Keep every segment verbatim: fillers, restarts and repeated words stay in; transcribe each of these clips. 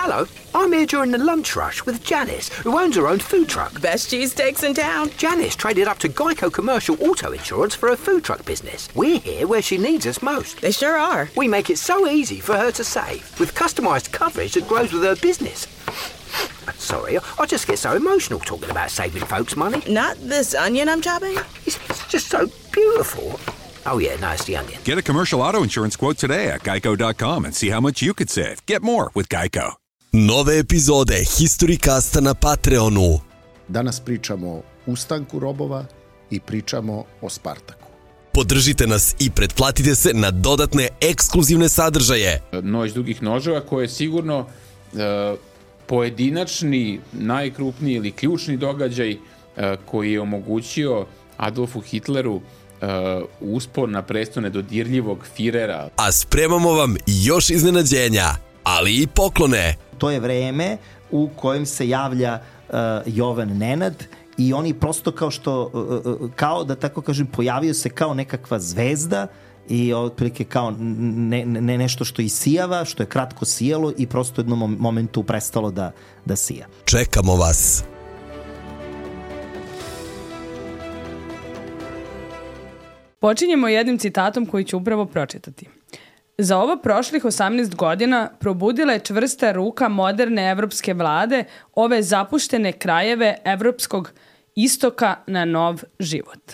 Hello, I'm here during the lunch rush with Janice, who owns her own food truck. Best cheesesteaks in town. Janice traded up to Geico Commercial Auto Insurance for her food truck business. We're here where she needs us most. They sure are. We make it so easy for her to save, with customised coverage that grows with her business. Sorry, I just get so emotional talking about saving folks money. Not this onion I'm chopping? It's, it's just so beautiful. Oh yeah, no, it's the onion. Get a commercial auto insurance quote today at geico dot com and see how much you could save. Get more with Geico. Nove epizode Historycasta na Patreonu. Danas pričamo o ustanku robova i pričamo o Spartaku. Podržite nas i pretplatite se na dodatne ekskluzivne sadržaje. Noć dugih noževa koje je sigurno uh, pojedinačni, najkrupniji ili ključni događaj uh, koji je omogućio Adolfu Hitleru uh, uspon na presto nedodirljivog Firera. A spremamo vam još iznenađenja, ali i poklone. To je vreme u kojem se javlja uh, Jovan Nenad i oni prosto kao što, uh, kao da tako kažem, pojavio se kao nekakva zvezda i otprilike kao ne, ne nešto što isijava, što je kratko sijalo i prosto u jednom momentu prestalo da, da sija. Čekamo vas. Počinjemo jednim citatom koji ću upravo pročitati. Za ovo prošlih osamnaest godina probudila je čvrsta ruka moderne evropske vlade ove zapuštene krajeve evropskog istoka na nov život.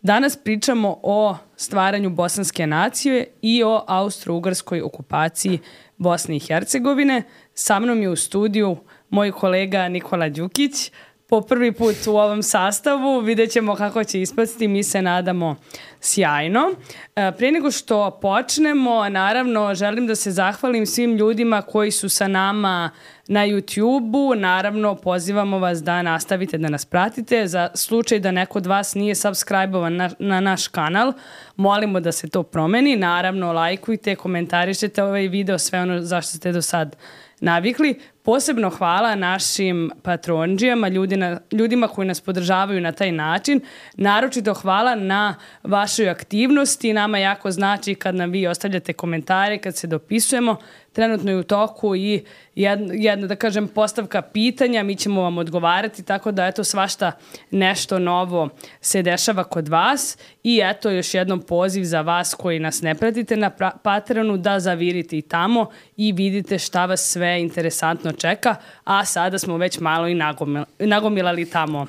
Danas pričamo o stvaranju bosanske nacije i o austro-ugarskoj okupaciji Bosne i Hercegovine. Sa mnom je u studiju moj kolega Nikola Đukić. Po prvi put u ovom sastavu, vidjet ćemo kako će ispasti, mi se nadamo sjajno. Prije nego što počnemo, naravno želim da se zahvalim svim ljudima koji su sa nama na YouTube-u. Naravno pozivamo vas da nastavite da nas pratite. Za slučaj da neko od vas nije subscribe-ovan na, na naš kanal, molimo da se to promeni. Naravno lajkujte, komentarišete ovaj video, sve ono zašto ste do sad navikli. Posebno hvala našim patronđijama, ljudima, ljudima koji nas podržavaju na taj način. Naročito hvala na vašoj aktivnosti. Nama jako znači kad nam vi ostavljate komentare, kad se dopisujemo. Trenutno je u toku i jedna, jedna da kažem, postavka pitanja. Mi ćemo vam odgovarati, tako da eto svašta nešto novo se dešava kod vas. I eto još jednom poziv za vas koji nas ne pratite na Patreonu da zavirite i tamo i vidite šta vas sve interesantno čeka, a sada smo već malo i nagomil, nagomilali tamo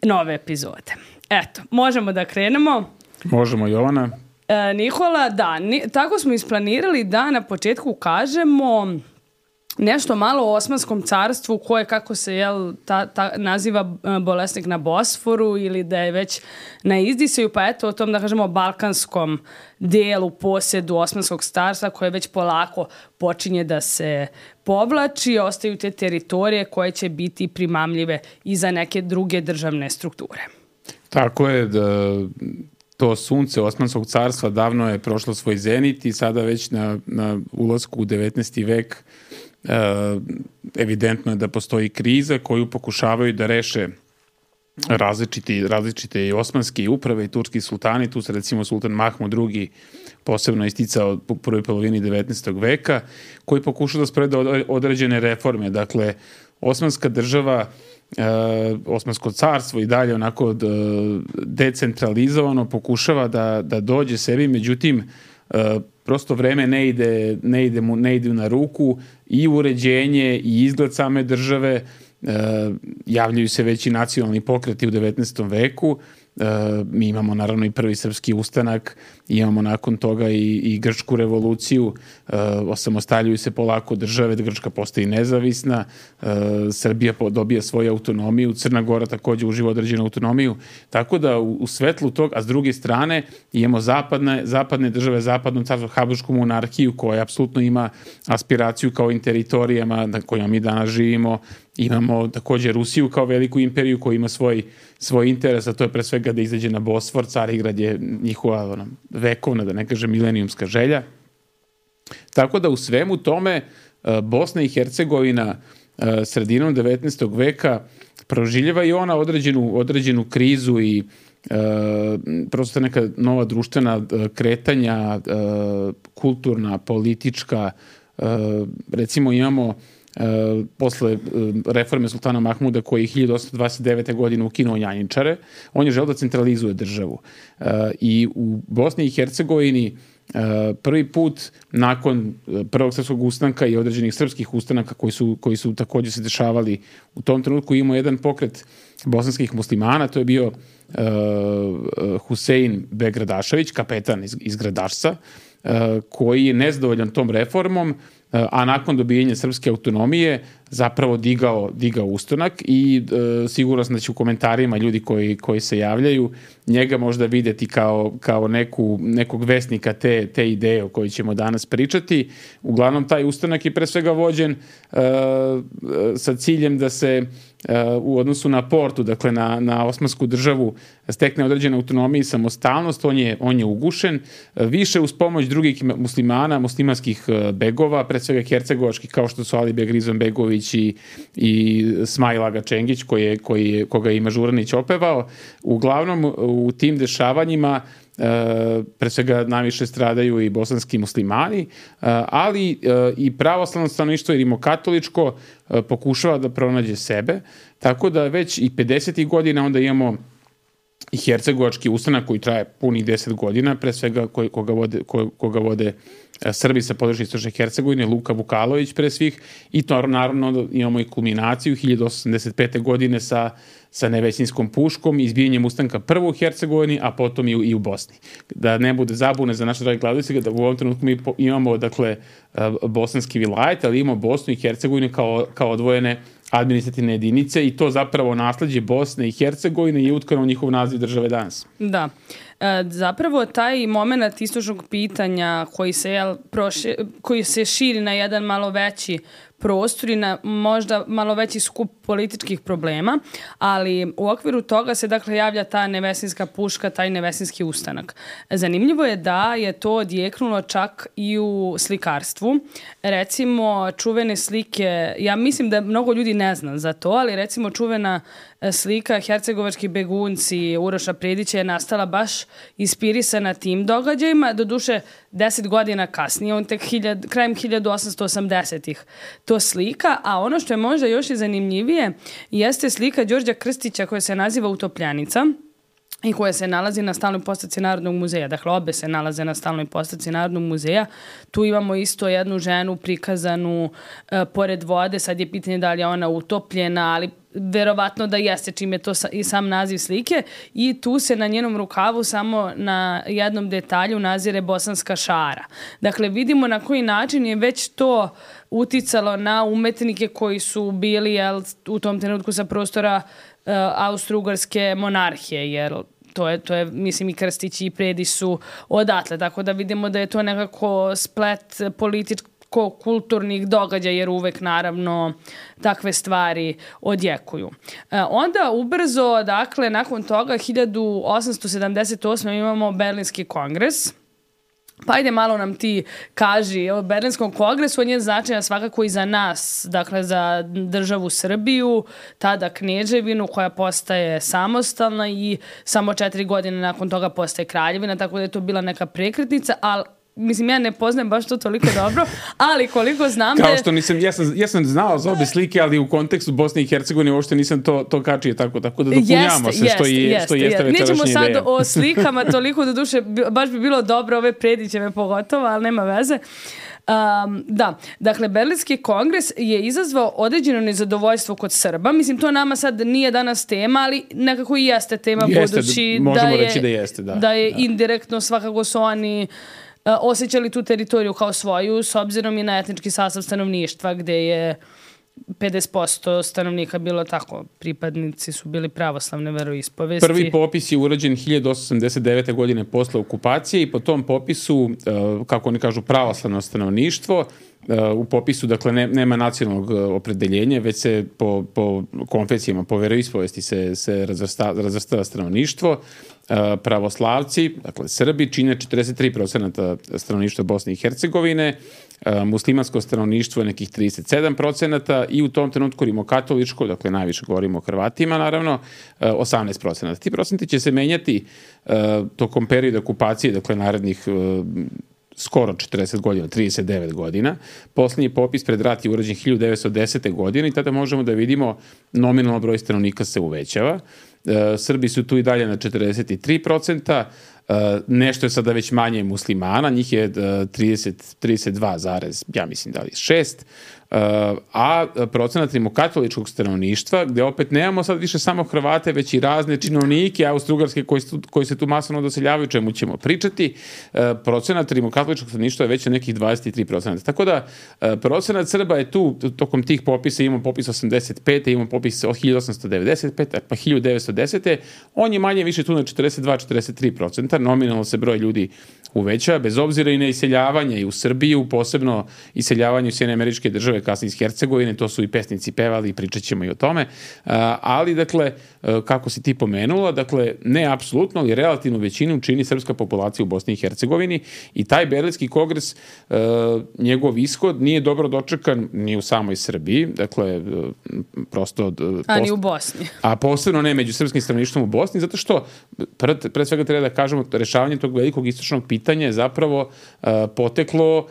nove epizode. Eto, možemo da krenemo. Možemo, Jovana. E, Nikola, da, ni, tako smo isplanirali da na početku kažemo nešto malo o Osmanskom carstvu koje, kako se jel, ta, ta, naziva bolesnik na Bosforu ili da je već na izdisaju, pa eto o tom da kažemo balkanskom delu posjedu Osmanskog carstva koje već polako počinje da se povlači, ostaju te teritorije koje će biti primamljive i za neke druge državne strukture. Tako je, da to sunce Osmanskog carstva davno je prošlo svoj zenit i sada već na, na ulasku u devetnaesti vek Uh, evidentno je da postoji kriza koju pokušavaju da reše različiti, različite i osmanske uprave i turski sultani. Tu se recimo sultan Mahmud drugi posebno isticao u prvoj polovini devetnaestog veka, koji pokušao da sprovede određene reforme. Dakle, osmanska država, uh, Osmansko carstvo i dalje onako d, decentralizovano pokušava da, da dođe sebi, međutim uh, prosto vreme ne ide, ne ide mu, ne ide na ruku i uređenje i izgled same države. E, javljaju se već i nacionalni pokreti u devetnaestom veku. E, mi imamo naravno i prvi srpski ustanak, imamo nakon toga i, i grčku revoluciju, e, osamostaljuju se polako države, da Grčka postaje nezavisna, e, Srbija dobija svoju autonomiju, Crna Gora takođe uživa određenu autonomiju, tako da u, u svetlu tog, a s druge strane imamo zapadne, zapadne države, zapadno carstvo, Habsbursku monarhiju koja apsolutno ima aspiraciju kao i teritorijama na kojima mi danas živimo. Imamo takođe Rusiju kao veliku imperiju koja ima svoj, svoj interes, a to je pre svega da izađe na Bosfor. Carigrad je njihova ono, vekovna, da ne kažem milenijumska želja. Tako da u svemu tome Bosna i Hercegovina sredinom devetnaestog veka proživljava i ona određenu, određenu krizu i e, prosto neka nova društvena kretanja, e, kulturna, politička. E, recimo imamo Uh, posle uh, reforme sultana Mahmuda koji je hiljadu osamsto dvadeset devete. godine ukinuo janjičare, on je želeo da centralizuje državu. Uh, I u Bosni i Hercegovini uh, prvi put nakon prvog srpskog ustanka i određenih srpskih ustanaka koji su, koji su također se dešavali u tom trenutku, imao jedan pokret bosanskih muslimana, to je bio uh, Husein Beg Gradašević, kapetan iz, iz Gradašca, uh, koji je nezadovoljan tom reformom, a nakon dobijenja srpske autonomije zapravo digao, digao ustanak i e, sigurno sam da će u komentarima ljudi koji, koji se javljaju njega možda vidjeti kao, kao neku, nekog vesnika te, te ideje o kojoj ćemo danas pričati. Uglavnom, taj ustanak je pre svega vođen e, sa ciljem da se u odnosu na Portu, dakle na, na Osmansku državu, stekne određena autonomija i samostalnost, on je, on je ugušen. Više uz pomoć drugih muslimana, muslimanskih begova, pre svega hercegovačkih, kao što su Alibek Rizonbegović i, i Smajl Aga Čengić, koji je, koji je, koga je i Mažuranić opevao. Uglavnom, u tim dešavanjima Uh, pre svega najviše stradaju i bosanski muslimani, uh, ali uh, i pravoslavno stanovništvo i rimokatoličko uh, pokušava da pronađe sebe, tako da već i pedesetih godina onda imamo i hercegovački ustanak koji traje punih deset godina, pre svega koji, koga vode, ko, koga vode Srbi sa područja istočne Hercegovine, Luka Vukalović pre svih, i to naravno imamo i kulminaciju hiljadu osamsto osamdeset pete. godine sa, sa Nevesinjskom puškom i izbijanjem ustanka prvo u Hercegovini, a potom i u, i u Bosni. Da ne bude zabune za naše dragi gledalce, da u ovom trenutku mi imamo dakle bosanski vilajet, ali imamo Bosnu i Hercegovinu kao, kao odvojene administrativne jedinice i to zapravo nasleđe Bosne i Hercegovine je utkano u njihov naziv države danas. Da. E, zapravo taj moment istočnog pitanja koji se, jel, proši, koji se širi na jedan malo veći prostor i na možda malo veći skup političkih problema, ali u okviru toga se dakle javlja ta Nevesinjska puška, taj Nevesinjski ustanak. Zanimljivo je da je to odjeknulo čak i u slikarstvu. Recimo čuvene slike, ja mislim da mnogo ljudi ne zna za to, ali recimo čuvena slika Hercegovački begunci Uroša Predića je nastala baš inspirisana tim događajima, doduše deset godina kasnije, on tek hiljad, krajem hiljadu osamsto osamdesetih to slika, a ono što je možda još i zanimljivije jeste slika Đorđa Krstića koja se naziva Utopljanica i koja se nalazi na stalnoj postavci Narodnog muzeja. Dakle, obe se nalaze na stalnoj postavci Narodnog muzeja. Tu imamo isto jednu ženu prikazanu e, pored vode. Sad je pitanje da li je ona utopljena, ali verovatno da jeste, čim je to sa, i sam naziv slike. I tu se na njenom rukavu samo na jednom detalju nazire bosanska šara. Dakle, vidimo na koji način je već to uticalo na umetnike koji su bili, jel, u tom trenutku sa prostora uh, Austro-Ugarske monarhije, jer to je, to je, mislim, i Krstić i Predić su odatle. Tako da vidimo da je to nekako splet političko-kulturnih događaja, jer uvek, naravno, takve stvari odjekuju. E, onda ubrzo, dakle, nakon toga, hiljadu osamsto sedamdeset osme. imamo Berlinski kongres. Pa ajde malo nam ti kaži o Berlinskom kongresu, on je značajan svakako i za nas, dakle za državu Srbiju, tada Kneževinu koja postaje samostalna i samo četiri godine nakon toga postaje kraljevina, tako da je to bila neka prekretnica, ali mislim, ja ne poznajem baš to toliko dobro, ali koliko znam da je... Kao što nisam, ja sam, ja sam znao za obe slike, ali u kontekstu Bosne i Hercegovine uopšte nisam to, to kačio tako, tako da dopunjamo jeste, se što, jeste, je, jeste, što jeste večerašnja ideja. Nećemo sad o slikama toliko, do duše, baš bi bilo dobro ove Predićeve pogotovo, ali nema veze. Um, da, dakle, Berlinski kongres je izazvao određeno nezadovoljstvo kod Srba. Mislim, to nama sad nije danas tema, ali nekako i jeste tema, jeste, budući možemo da je, reći da jeste, da. Da je da. indirektno svakako su oni uh, osjećali tu teritoriju kao svoju, s obzirom i na etnički sastav stanovništva, gde je pedeset posto stanovnika bilo tako, pripadnici su bili pravoslavne veroispovesti. Prvi popis je urađen hiljadu osamsto osamdeset devete. godine posle okupacije i po tom popisu, kako oni kažu, pravoslavno stanovništvo, u popisu, dakle, ne, nema nacionalnog opredeljenja, već se po, po konfesijama, po veroispovesti se, se razvrsta, razvrstava stanovništvo. Pravoslavci, dakle Srbi, čine četrdeset tri procenata stanovništva Bosne i Hercegovine, muslimansko stanovništvo je nekih trideset sedam procenata i u tom trenutku rimokatoličko, dakle najviše govorimo o Hrvatima, naravno, osamnaest procenata. Ti procenti će se menjati tokom perioda okupacije, dakle narednih skoro četrdeset godina, trideset devet godina. Poslednji popis pred rat je urađen hiljadu devetsto desete. godine i tada možemo da vidimo nominalno broj stanovnika se uvećava. E, Srbi su tu i dalje na četrdeset tri procenta, e, nešto je sada već manje muslimana, njih je trideset, trideset dva, ja mislim da li šest, a procenat rimokatoličkog stanovništva, gde opet nemamo sad više samo Hrvate, već i razne činovnike austrougarske koji, koji se tu masovno doseljavaju, čemu ćemo pričati, procenat rimokatoličkog stanovništva je već na nekih dvadeset tri procenta. Tako da procenat Srba je tu, tokom tih popisa imamo popis osamdeset pete. imamo popis od hiljadu osamsto devedeset pete. pa hiljadu devetsto desete. On je manje više tu na četrdeset dva do četrdeset tri procenta. Nominalno se broj ljudi uveća, bez obzira i na iseljavanje i u Srbiju, posebno iseljavanje u Sjedinjene Američke Države, kasnije iz Hercegovine, to su i pesnici pevali i pričat ćemo i o tome, ali dakle, kako si ti pomenula, dakle, ne apsolutno, ali relativnu većinu čini srpska populacija u Bosni i Hercegovini i taj Berlinski kongres, njegov ishod nije dobro dočekan ni u samoj Srbiji, dakle, prosto... A ni u Bosni. A posebno ne među srpskim stanovništvom u Bosni, zato što, pre, pre svega treba da kažemo, rešavanje tog velikog istočnog pitanja je zapravo poteklo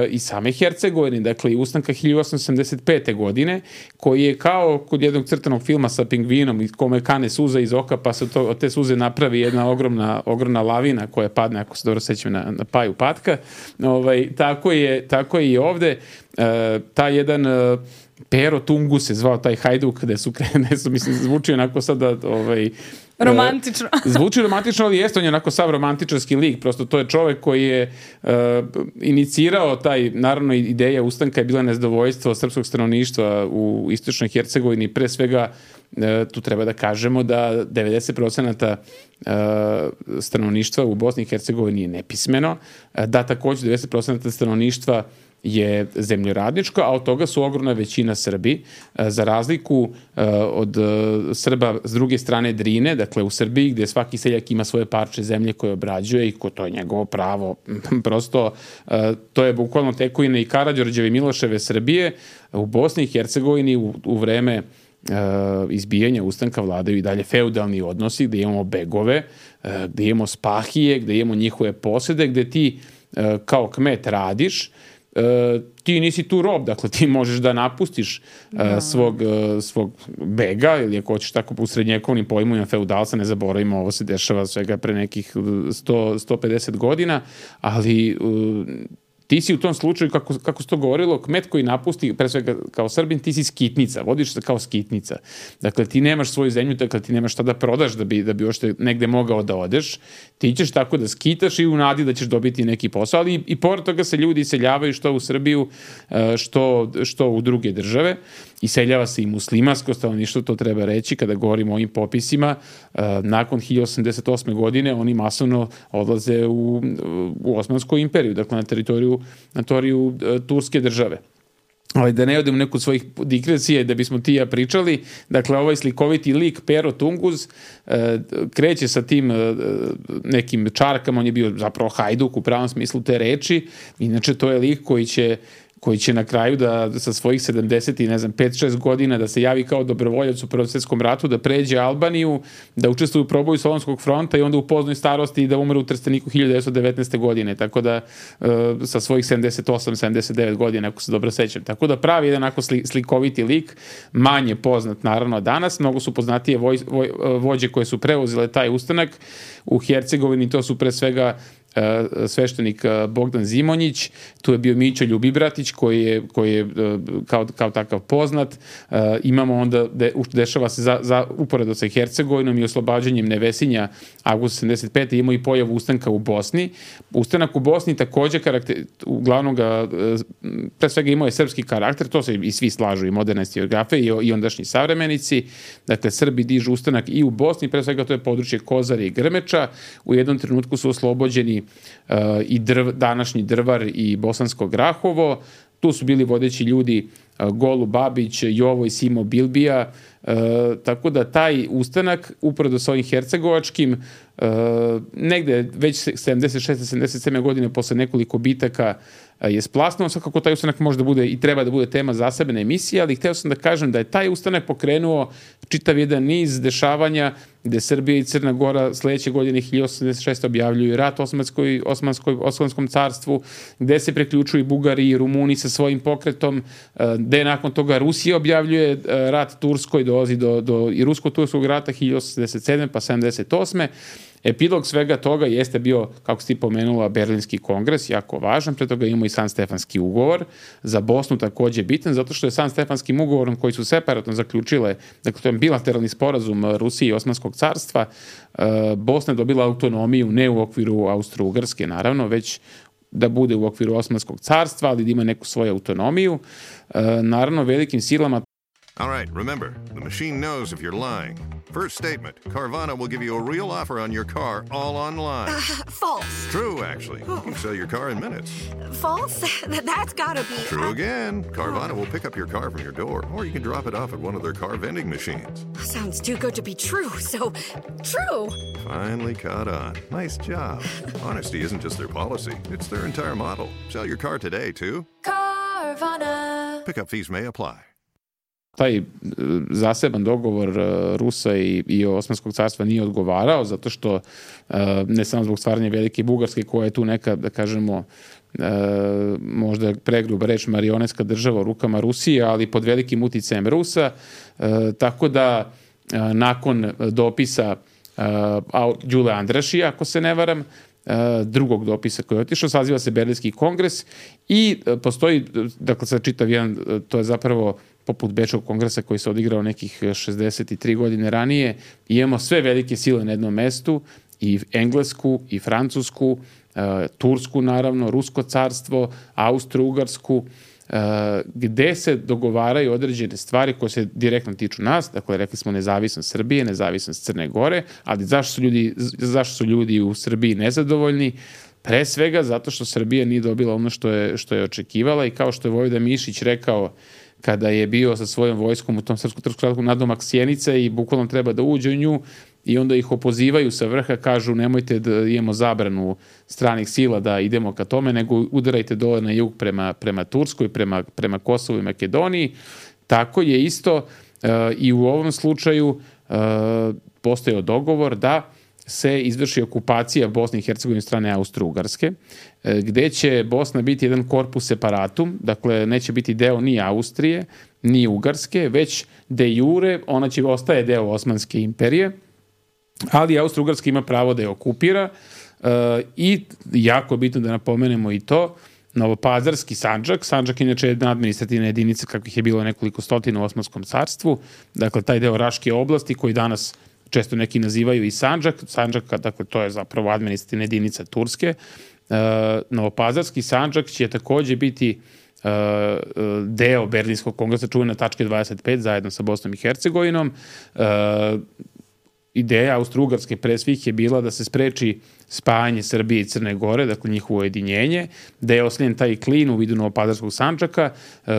i same Hercegovine, dakle i ustanka hiljadu osamsto sedamdeset pete. godine, koji je kao kod jednog crtanog filma sa pingvinom i kome kane suza iz oka, pa se to, od te suze napravi jedna ogromna, ogromna lavina koja padne, ako se dobro sećam, na, na paju patka. Ovaj, tako, je, tako je i ovde. E, ta jedan... E, Pero Tungu se zvao taj hajduk, gde su, gde su mislim, zvuči onako sada... Ovaj, romantično. Zvuči romantično, ali jeste, on je onako sav romantičarski lik, prosto to je čovek koji je uh, inicirao taj, naravno ideja ustanka je bila nezadovoljstvo srpskog stanovništva u istočnoj Hercegovini, pre svega uh, tu treba da kažemo da devedeset procenta uh, stanovništva u Bosni i Hercegovini je nepismeno, uh, da takođe devedeset procenta stanovništva je zemljoradničko, a od toga su ogromna većina Srbi, za razliku od Srba s druge strane Drine, dakle u Srbiji gde svaki seljak ima svoje parče zemlje koje obrađuje i ko to je njegovo pravo. Prosto to je bukvalno tekovina i Karađorđeve i Miloševe Srbije. U Bosni i Hercegovini u, u vreme izbijanja ustanka vladaju i dalje feudalni odnosi gde imamo begove, gde imamo spahije, gde imamo njihove posede, gde ti kao kmet radiš. Uh, ti nisi tu rob, dakle ti možeš da napustiš uh, svog, uh, svog bega ili ako hoćeš tako u srednjekovnim pojmovima feudalca, ne zaboravimo, ovo se dešava svega pre nekih sto do sto pedeset godina, ali uh, ti si u tom slučaju, kako, kako se to govorilo, kmet koji napusti, pre svega kao Srbin, ti si skitnica, vodiš se kao skitnica. Dakle, ti nemaš svoju zemlju, dakle, ti nemaš šta da prodaš da bi, da bi ošte negde mogao da odeš. Ti ćeš tako da skitaš i u nadi da ćeš dobiti neki posao, ali i, i pored toga se ljudi iseljavaju što u Srbiju, što, što u druge države. Iseljava se i muslimansko stanovništvo, to treba reći, kada govorimo o ovim popisima. Nakon hiljadu osamdeset osme. godine oni masovno odlaze u, u Osmansku imperiju, dakle na teritoriju, na teritoriju Turske države. Ali da ne odem u neku svojih digresija da bismo ti ja pričali, dakle ovaj slikoviti lik Pero Tunguz e, kreće sa tim e, nekim čarkama, on je bio zapravo hajduk u pravom smislu te reči, inače to je lik koji će koji će na kraju da sa svojih sedamdeset i ne znam pet šest godina da se javi kao dobrovoljac u Prvom svetskom ratu, da pređe Albaniju, da učestvuje u proboju Solunskog fronta i onda u poznoj starosti i da umre u Trsteniku hiljadu devetsto devetnaeste. godine, tako da uh, sa svojih sedamdeset osam sedamdeset devet godina, ako se dobro sećam. Tako da pravi jedan onako sli, slikoviti lik, manje poznat naravno danas, mnogo su poznatije voj, voj, vođe koje su preuzele taj ustanak u Hercegovini, to su pre svega sveštenik Bogdan Zimonjić, tu je bio Mićo Ljubibratić koji je, koji je kao, kao takav poznat. Imamo onda, de, dešava se za, za uporedo sa Hercegovinom i oslobađanjem Nevesinja avgusta sedamdeset pete. imamo i pojavu ustanka u Bosni. Ustanak u Bosni takođe karakter, uglavnom ga, pre svega imao je srpski karakter, to se i svi slažu, i moderne historiografe i, i ondašnji savremenici. Dakle, Srbi dižu ustanak i u Bosni, pre svega to je područje Kozare i Grmeča. U jednom trenutku su oslobođeni Uh, i drv, današnji Drvar i Bosansko Grahovo. Tu su bili vodeći ljudi uh, Golu Babić, Jovo i Simo Bilbija, uh, tako da taj ustanak uporedo sa ovim hercegovačkim uh, negde već sedamdeset šeste sedamdeset sedme. godine posle nekoliko bitaka je splasnuo, sad kako taj ustanak može da bude i treba da bude tema zasebne emisije, ali hteo sam da kažem da je taj ustanak pokrenuo čitav jedan niz dešavanja gde Srbija i Crna Gora sledeće godine hiljadu osamsto osamdeset šeste objavljuju rat Osmanskoj, Osmanskoj, Osmanskom carstvu, gde se preključuju Bugari i Rumuni sa svojim pokretom, gde nakon toga Rusija objavljuje rat Turskoj, dolazi do, do i rusko-turskog rata hiljadu osamsto sedamdeset sedme pa sedamdeset osme Epilog svega toga jeste bio, kako si ti pomenula, Berlinski kongres, jako važan, pre toga imamo i San Stefanski ugovor, za Bosnu takođe bitan, zato što je San Stefanskim ugovorom koji su separatno zaključile, dakle to je bilateralni sporazum Rusije i Osmanskog carstva, Bosna je dobila autonomiju ne u okviru Austro-Ugarske, naravno, već da bude u okviru Osmanskog carstva, ali da ima neku svoju autonomiju. Naravno, velikim silama. All right, remember, the machine knows if you're lying. First statement, Carvana will give you a real offer on your car all online. Uh, false. True, actually. You can sell your car in minutes. False? That's gotta be... True again. Carvana will pick up your car from your door, or you can drop it off at one of their car vending machines. Sounds too good to be true, so true. Finally caught on. Nice job. Honesty isn't just their policy, it's their entire model. Sell your car today, too. Carvana. Pickup fees may apply. Taj zaseban dogovor Rusa i, i Osmanskog carstva nije odgovarao, zato što ne samo zbog stvaranja Velike Bugarske, koja je tu neka, da kažemo, možda pregruba reč, marionetska država u rukama Rusije, ali pod velikim uticajem Rusa, tako da nakon dopisa Đule Andrašija, ako se ne varam, drugog dopisa koji je otišao, saziva se Berlinski kongres i postoji, dakle sad čitav jedan, to je zapravo poput Bečkog kongresa koji se odigrao nekih šezdeset tri godine ranije, imamo sve velike sile na jednom mestu, i Englesku, i Francusku, Tursku naravno, Rusko carstvo, Austro-Ugarsku, gde se dogovaraju određene stvari koje se direktno tiču nas, dakle rekli smo nezavisnost Srbije, nezavisnost Crne Gore, ali zašto su ljudi, zašto su ljudi u Srbiji nezadovoljni? Pre svega zato što Srbija nije dobila ono što je, što je očekivala i kao što je Vojvoda Mišić rekao kada je bio sa svojom vojskom u tom srpsko-trpskom ratu nadomak Sjenice i bukvalno treba da uđe u nju i onda ih opozivaju sa vrha, kažu nemojte da imamo zabranu stranih sila da idemo ka tome, nego udarajte dole na jug prema, prema Turskoj, prema, prema Kosovu i Makedoniji. Tako je isto uh, i u ovom slučaju uh, postojao dogovor da se izvrši okupacija Bosne i Hercegovine strane Austro-Ugarske, gde će Bosna biti jedan korpus separatum, dakle neće biti deo ni Austrije, ni Ugarske, već de jure ona će ostaje deo Osmanske imperije, ali Austro-Ugarska ima pravo da je okupira i jako je bitno da napomenemo i to, Novopazarski Sandžak, Sandžak inače je jedna administrativna jedinica kakvih je bilo nekoliko stotina u Osmanskom carstvu, dakle taj deo Raške oblasti koji danas često neki nazivaju i Sandžak, Sandžaka, dakle to je zapravo administrativna jedinica Turske. Uh, Novopazarski Sandžak će takođe biti uh, deo Berlinskog kongresa, čuvena tačka dvadeset pet, zajedno sa Bosnom i Hercegovinom. Uh, ideja Austro-Ugarske pre svih je bila da se spreči spajanje Srbije i Crne Gore, dakle njihovo ujedinjenje, da je osljen taj klin u vidu Novopazarskog Sandžaka,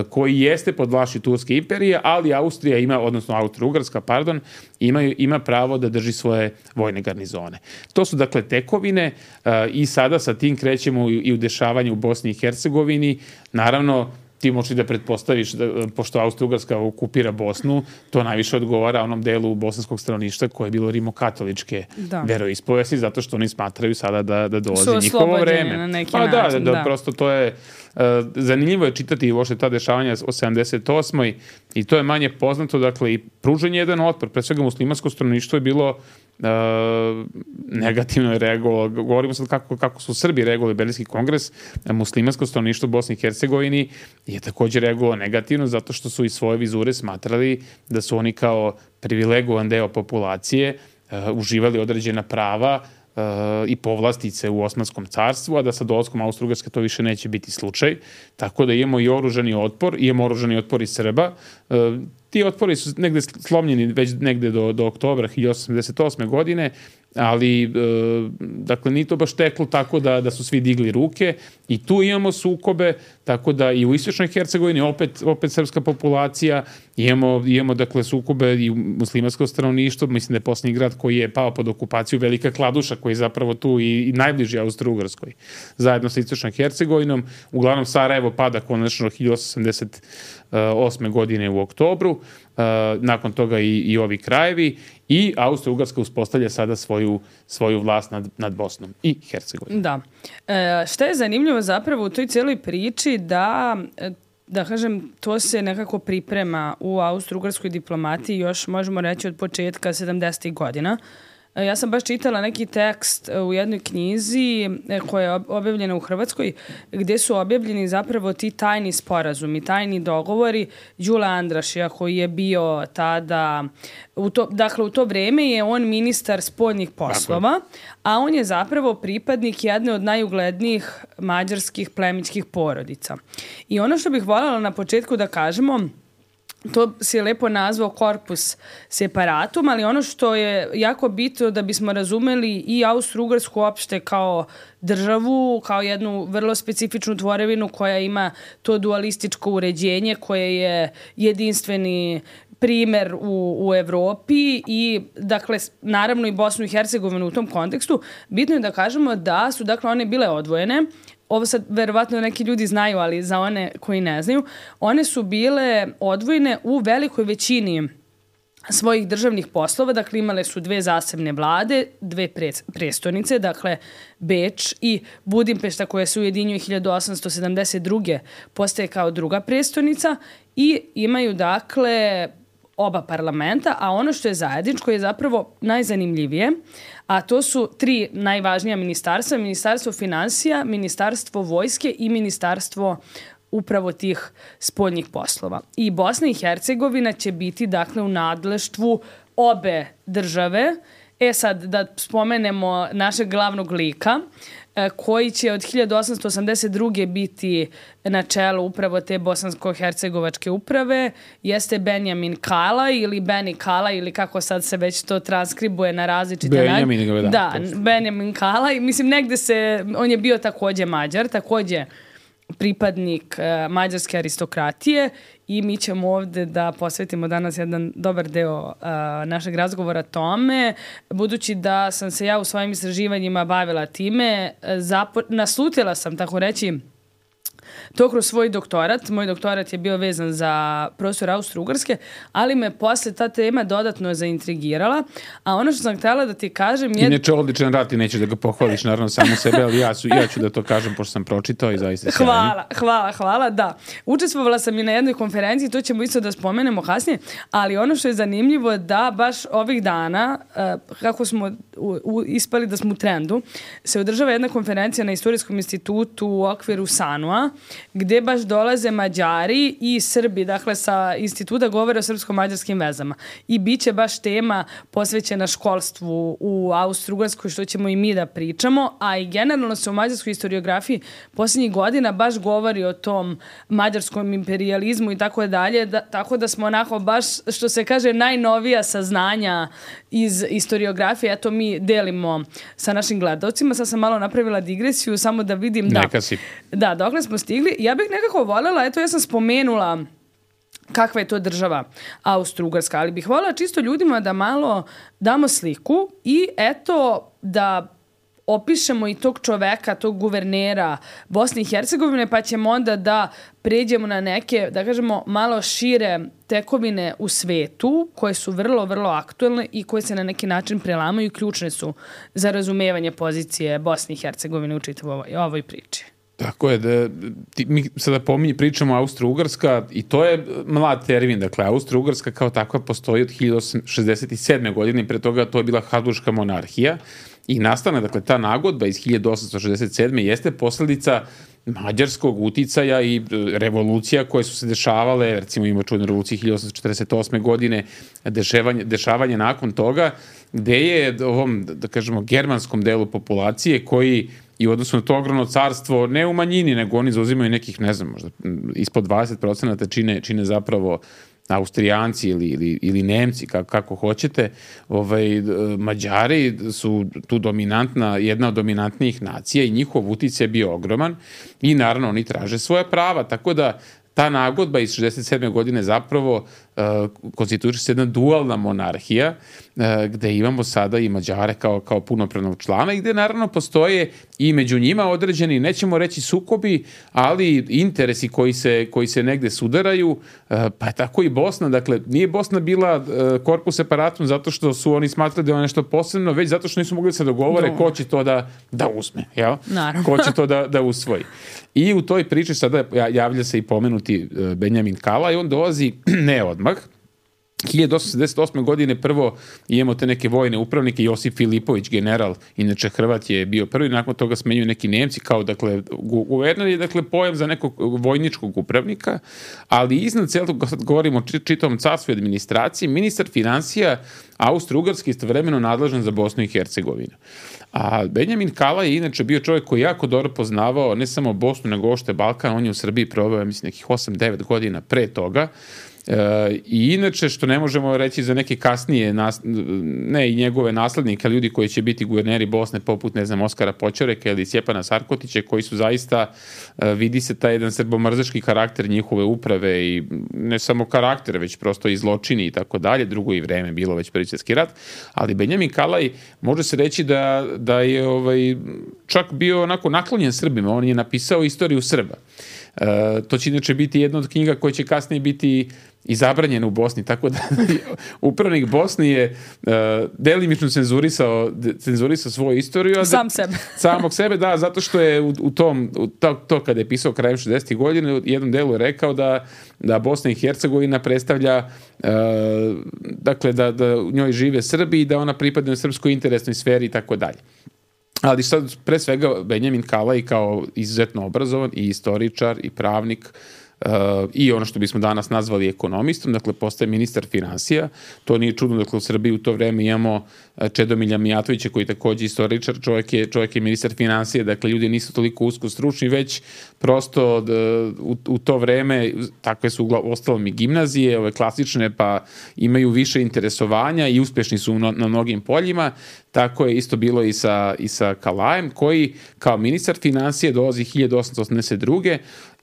koji jeste pod vlašću Turske imperije, ali Austrija ima, odnosno Austro-Ugarska, pardon, ima, ima pravo da drži svoje vojne garnizone. To su dakle tekovine i sada sa tim krećemo i u dešavanje u Bosni i Hercegovini. Naravno, ti možeš da pretpostaviš, da, pošto Austro-Ugarska okupira Bosnu, to najviše odgovara onom delu bosanskog stanovništva koje je bilo rimokatoličke da. veroispovesti, zato što oni smatraju sada da, da dolazi njihovo vreme. Na neki pa način, da, da, da, prosto to je, uh, zanimljivo je čitati uopšte ta dešavanja o sedamdeset osmoj i to je manje poznato, dakle i pružanje jedan otpor, pre svega muslimansko stanovništvo je bilo Uh, negativno je reagovalo. Govorimo sad kako, kako su Srbi reagovali Berlinski kongres, muslimansko stanovništvo u Bosni i Hercegovini je takođe reagovalo negativno zato što su i svoje vizure smatrali da su oni kao privilegovan deo populacije uh, uživali određena prava uh, i povlastice u Osmanskom carstvu, a da sa dolaskom Austro-Ugarske to više neće biti slučaj. Tako da imamo i oružani otpor, imamo oružani otpor i Srba. Uh, Ti otpori su negde slomljeni već negde do, do oktobra hiljadu osamsto sedamdeset osme godine, ali e, dakle nije to baš teklo tako da, da su svi digli ruke i tu imamo sukobe, tako da i u Istočnoj Hercegovini opet, opet srpska populacija, imamo, imamo dakle sukobe i u muslimansko stanovništvo, mislim da je posljednji grad koji je pao pod okupaciju Velika Kladuša, koji je zapravo tu i, i najbliži Austro-Ugarskoj, zajedno sa Istočnom Hercegovinom. Uglavnom Sarajevo pada konačno hiljadu osamsto osamdeset osme godine u oktobru, nakon toga i, i ovi krajevi, i Austro-Ugarska uspostavlja sada svoju, svoju vlast nad, nad Bosnom i Hercegovinom. Da. E, šta je zanimljivo zapravo u toj cijeloj priči da, da kažem, to se nekako priprema u austro-ugarskoj diplomatiji još, možemo reći, od početka sedamdesetih godina. Ja sam baš čitala neki tekst u jednoj knjizi koja je objavljena u Hrvatskoj, gdje su objavljeni zapravo ti tajni sporazumi, tajni dogovori Đula Andrašija, koji je bio tada, u to, dakle u to vrijeme je on ministar spoljnih poslova, a on je zapravo pripadnik jedne od najuglednijih mađarskih plemićkih porodica. I ono što bih voljela na početku da kažemo, to si je lepo nazvao corpus separatum, ali ono što je jako bitno da bismo razumeli i Austro-Ugarsku uopšte kao državu, kao jednu vrlo specifičnu tvorevinu koja ima to dualističko uređenje, koje je jedinstveni primer u, u Evropi i, dakle, naravno i Bosnu i Hercegovinu u tom kontekstu. Bitno je da kažemo da su, dakle, one bile odvojene. Ovo sad verovatno neki ljudi znaju, ali za one koji ne znaju, one su bile odvojene u velikoj većini svojih državnih poslova, dakle imale su dve zasebne vlade, dve pre, prestonice, dakle Beč i Budimpešta koja se ujedinjuje hiljadu osamsto sedamdeset druge postaje kao druga prestonica i imaju dakle oba parlamenta, a ono što je zajedničko je zapravo najzanimljivije, a to su tri najvažnija ministarstva, Ministarstvo finansija, Ministarstvo vojske i Ministarstvo upravo tih spoljnih poslova. I Bosna i Hercegovina će biti dakle u nadleštvu obe države. E sad, da spomenemo našeg glavnog lika, koji će od hiljadu osamsto osamdeset druge biti na čelu upravo te bosansko-hercegovačke uprave, jeste Benjamin Kala ili Beni Kala ili kako sad se već to transkribuje na različite Benjamin, načine. Da, da Benjamin Kala. I mislim, negde se, on je bio takođe Mađar, takođe pripadnik uh, mađarske aristokratije i mi ćemo ovdje da posvetimo danas jedan dobar deo uh, našeg razgovora tome, budući da sam se ja u svojim istraživanjima bavila time, zapo- naslutila sam, tako reći, to kroz svoj doktorat. Moj doktorat je bio vezan za prostor Austro-Ugarske, ali me posle ta tema dodatno zaintrigirala. A ono što sam htjela da ti kažem je... Inače, odličan rad i nećeš da ga pohvališ, naravno, samo sebe, ali ja, su, ja ću da to kažem, pošto sam pročitao i zaista sjajno. Hvala, hvala, hvala, da. Učestvovala sam i na jednoj konferenciji, to ćemo isto da spomenemo kasnije, ali ono što je zanimljivo je da baš ovih dana, kako smo u, u, ispali da smo u trendu, se održava jedna konferencija na Istorijskom institutu u okviru Sanua, gdje baš dolaze Mađari i Srbi, dakle sa instituta govore o srpsko-mađarskim vezama. I bit će baš tema posvećena školstvu u Austro-Ugarskoj, što ćemo i mi da pričamo, a i generalno se u mađarskoj historiografiji posljednjih godina baš govori o tom mađarskom imperializmu i tako dalje, da, tako da smo onako baš, što se kaže, najnovija saznanja iz historiografije, eto mi delimo sa našim gledalcima. Sad sam malo napravila digresiju, samo da vidim da, Neka si. da dokle smo stigli. Ja bih nekako voljela, eto ja sam spomenula kakva je to država Austro-Ugarska, ali bih voljela čisto ljudima da malo damo sliku i eto da opišemo i tog čoveka, tog guvernera Bosne i Hercegovine, pa ćemo onda da pređemo na neke, da kažemo, malo šire tekovine u svetu, koje su vrlo, vrlo aktuelne i koje se na neki način prelamaju i ključne su za razumevanje pozicije Bosne i Hercegovine u čitavoj ovoj, ovoj priči. Tako je, da, ti, mi sada pominje, pričamo Austro-Ugarska i to je mlad termin, dakle Austro-Ugarska kao takva postoji od hiljadu osamsto šezdeset sedme godine i pre toga to je bila Habsburška monarhija i nastane, dakle, ta nagodba iz hiljadu osamsto šezdeset sedme jeste posljedica mađarskog uticaja i revolucija koje su se dešavale, recimo ima čudne revolucije hiljadu osamsto četrdeset osme godine, dešavanje, dešavanje nakon toga, gde je ovom, da kažemo, germanskom delu populacije koji i u odnosu na to ogromno carstvo, ne u manjini, nego oni zauzimaju nekih, ne znam, možda ispod dvadeset procenata čine, čine zapravo Austrijanci ili, ili, ili Nemci, kako, kako hoćete, ovaj, Mađari su tu dominantna, jedna od dominantnijih nacija i njihov uticaj je bio ogroman i naravno oni traže svoja prava, tako da ta nagodba iz šezdeset sedme godine zapravo uh, konstituira se jedna dualna monarhija uh, gde imamo sada i Mađare kao, kao punopravnog člana i gde naravno postoje i među njima određeni, nećemo reći sukobi, ali interesi koji se, koji se negde sudaraju, uh, pa je tako i Bosna. Dakle, nije Bosna bila uh, korpus separatum zato što su oni smatrali da je nešto posebno, već zato što nisu mogli da se dogovore ko će to da, da uzme, jel? Naravno. Ko će to da, da usvoji. I u toj priči sada javlja se i pomenuti Benjamin Kala i on dolazi ne odmah. hiljadu osamsto sedamdeset osme. godine prvo imamo te neke vojne upravnike, Josip Filipović, general, inače Hrvat je bio prvi, nakon toga smenjuju neki Nemci, kao dakle, guverner je dakle pojam za nekog vojničkog upravnika, ali iznad celog, kad govorimo o čitavom carstvu i administraciji, ministar finansija Austro-Ugarski istovremeno nadležan za Bosnu i Hercegovinu. A Benjamin Kala je inače bio čovjek koji jako dobro poznavao ne samo Bosnu, nego ošte Balkan, on je u Srbiji proveo, mislim, nekih osam devet godina pre toga. E, I inače, što ne možemo reći za neke kasnije, nas, ne i njegove naslednike, ljudi koji će biti guverneri Bosne, poput, ne znam, Oskara Počoreka ili Stjepana Sarkotića, koji su zaista, e, vidi se taj jedan srbomrzački karakter njihove uprave i ne samo karakter, već prosto i zločini i tako dalje, drugo i vreme, bilo već Prvi svjetski rat, ali Benjamin Kalaj može se reći da, da je ovaj, čak bio onako naklonjen Srbima, on je napisao istoriju Srba. E, to će inače biti jedna od knjiga koja će kasnije biti i zabranjena u Bosni, tako da upravnik Bosni je uh, delimično cenzurisao, cenzurisao svoju istoriju. Sam sebe. Samog sebe, da, zato što je u, u tom, u to, to kada je pisao krajem šezdesetih godina, u jednom delu je rekao da, da Bosna i Hercegovina predstavlja, uh, dakle, da, da u njoj žive Srbi i da ona pripada u srpskoj interesnoj sferi i tako dalje. Ali sad, pre svega, Benjamin Kalaj kao izuzetno obrazovan i istoričar i pravnik, Uh, i ono što bismo danas nazvali ekonomistom, dakle postaje ministar finansija. To nije čudno, dakle u Srbiji u to vreme imamo Čedomilja Mijatovića koji je takođe istoričar, čovjek je, čovjek je ministar finansija, dakle ljudi nisu toliko usko stručni, već prosto d, u, u to vreme takve su ostalom i gimnazije, ove klasične, pa imaju više interesovanja i uspešni su na, na mnogim poljima. Tako je isto bilo i sa, i sa Kalajem, koji kao ministar finansije dolazi hiljadu osamsto osamdeset druge.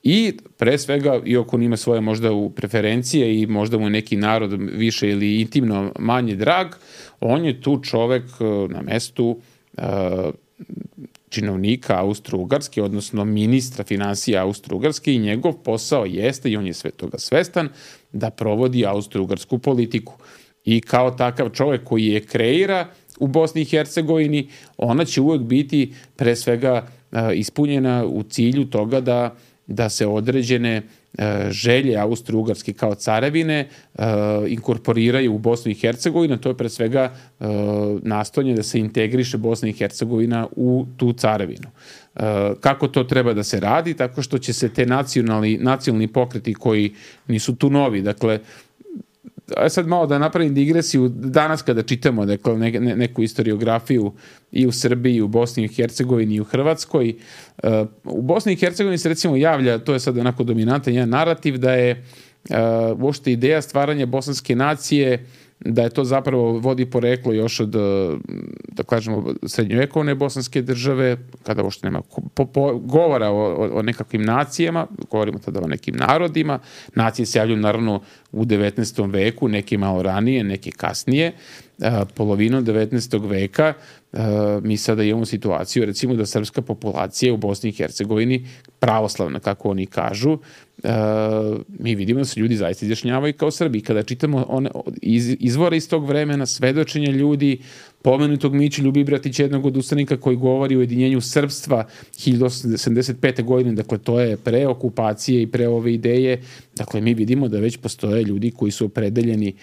I pre svega, iako on ima svoje možda u preferencije i možda mu je neki narod više ili intimno manje drag, on je tu čovek na mestu uh, činovnika Austro-Ugarske, odnosno ministra finansija Austro-Ugarske i njegov posao jeste, i on je sve toga svestan, da provodi austro-ugarsku politiku. I kao takav čovek koji je kreira u Bosni i Hercegovini, ona će uvek biti pre svega uh, ispunjena u cilju toga da da se određene uh, želje Austro-Ugarske kao carevine uh, inkorporiraju u Bosnu i Hercegovinu. To je pre svega uh, nastojanje da se integriše Bosna i Hercegovina u tu carevinu. Uh, kako to treba da se radi? Tako što će se te nacionalni, nacionalni pokreti koji nisu tu novi, dakle, a sad malo da napravim digresiju, danas kada čitamo dakle, ne, ne, neku historiografiju i u Srbiji, i u Bosni i Hercegovini, i u Hrvatskoj, uh, u Bosni i Hercegovini se recimo javlja, to je sad onako dominantan jedan narativ, da je uh, uopšte ideja stvaranja bosanske nacije, da je to zapravo vodi poreklo još od, da kažemo, srednjovekovne bosanske države, kada uopšte nema po, po, govora o, o, o nekakvim nacijama, govorimo tada o nekim narodima. Nacije se javljaju naravno u devetnaestom veku, neki malo ranije, neki kasnije. A, polovinom devetnaestog veka a, mi sada imamo situaciju, recimo da srpska populacija u Bosni i Hercegovini, pravoslavna, kako oni kažu, Uh, mi vidimo da se ljudi zaista izjašnjavaju kao Srbi. Kada čitamo one, iz, izvore iz tog vremena, svedočenja ljudi, pomenutog Miću Ljubibratića, jednog od ustanika koji govori o ujedinjenju srpstva hiljadu osamsto sedamdeset pete. godine, dakle to je pre okupacije i pre ove ideje, dakle mi vidimo da već postoje ljudi koji su opredeljeni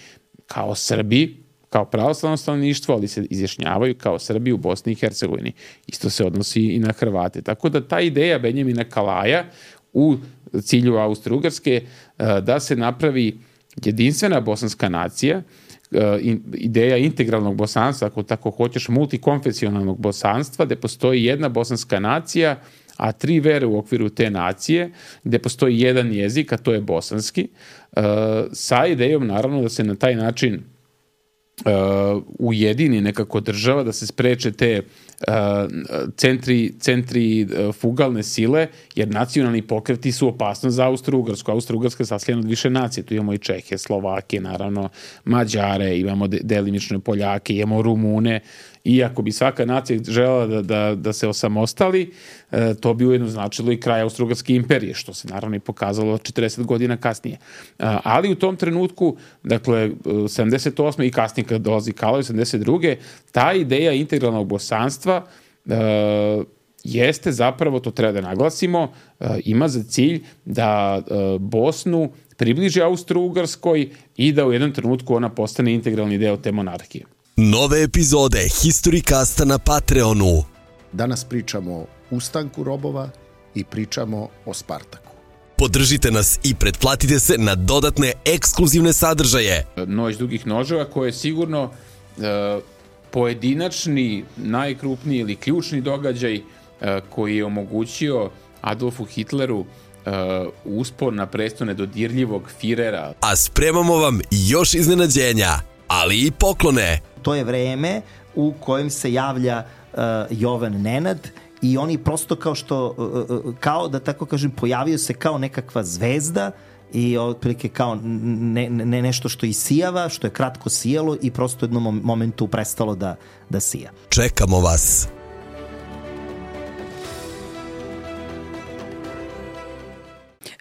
kao Srbi, kao pravoslavno stanovništvo, ali se izjašnjavaju kao Srbi u Bosni i Hercegovini. Isto se odnosi i na Hrvate. Tako da ta ideja Benjamina Kalaja u cilju Austro-Ugarske da se napravi jedinstvena bosanska nacija, ideja integralnog bosanstva, ako tako hoćeš, multikonfesionalnog bosanstva, gde postoji jedna bosanska nacija, a tri vere u okviru te nacije, gde postoji jedan jezik, a to je bosanski, sa idejom naravno da se na taj način Uh, ujedini nekako država, da se spreče te uh, centri, centri uh, fugalne sile, jer nacionalni pokreti su opasnost za Austro-Ugarsku. Austro-Ugarska je saslijena od više nacije. Tu imamo i Čehe, Slovake, naravno Mađare, imamo de, delimično Poljake, imamo Rumune. I ako bi svaka nacija želela da, da, da se osamostali, e, to bi ujedno značilo i kraj Austro-Ugarske imperije, što se naravno i pokazalo četrdeset godina kasnije. A, ali u tom trenutku, dakle, sedamdeset osme i kasnije kad dolazi Kaloj, sedamdeset druge ta ideja integralnog bosanstva e, jeste zapravo, to treba da naglasimo, e, ima za cilj da e, Bosnu približi Austro-Ugarskoj i da u jednom trenutku ona postane integralni deo te monarhije. Nove epizode Historicasta na Patreonu. Danas pričamo o ustanku robova i pričamo o Spartaku. Podržite nas i pretplatite se na dodatne ekskluzivne sadržaje. Noć dugih noževa koje je sigurno uh, pojedinačni, najkrupniji ili ključni događaj uh, koji je omogućio Adolfu Hitleru uh, uspon na presto nedodirljivog Firera. A spremamo vam još iznenađenja, ali i poklone. To je vreme u kojem se javlja uh, Jovan Nenad i oni prosto kao što, uh, kao da tako kažem, pojavio se kao nekakva zvezda i otprilike kao ne, ne, nešto što isijava, što je kratko sijalo i prosto u jednom momentu prestalo da, da sija. Čekamo vas.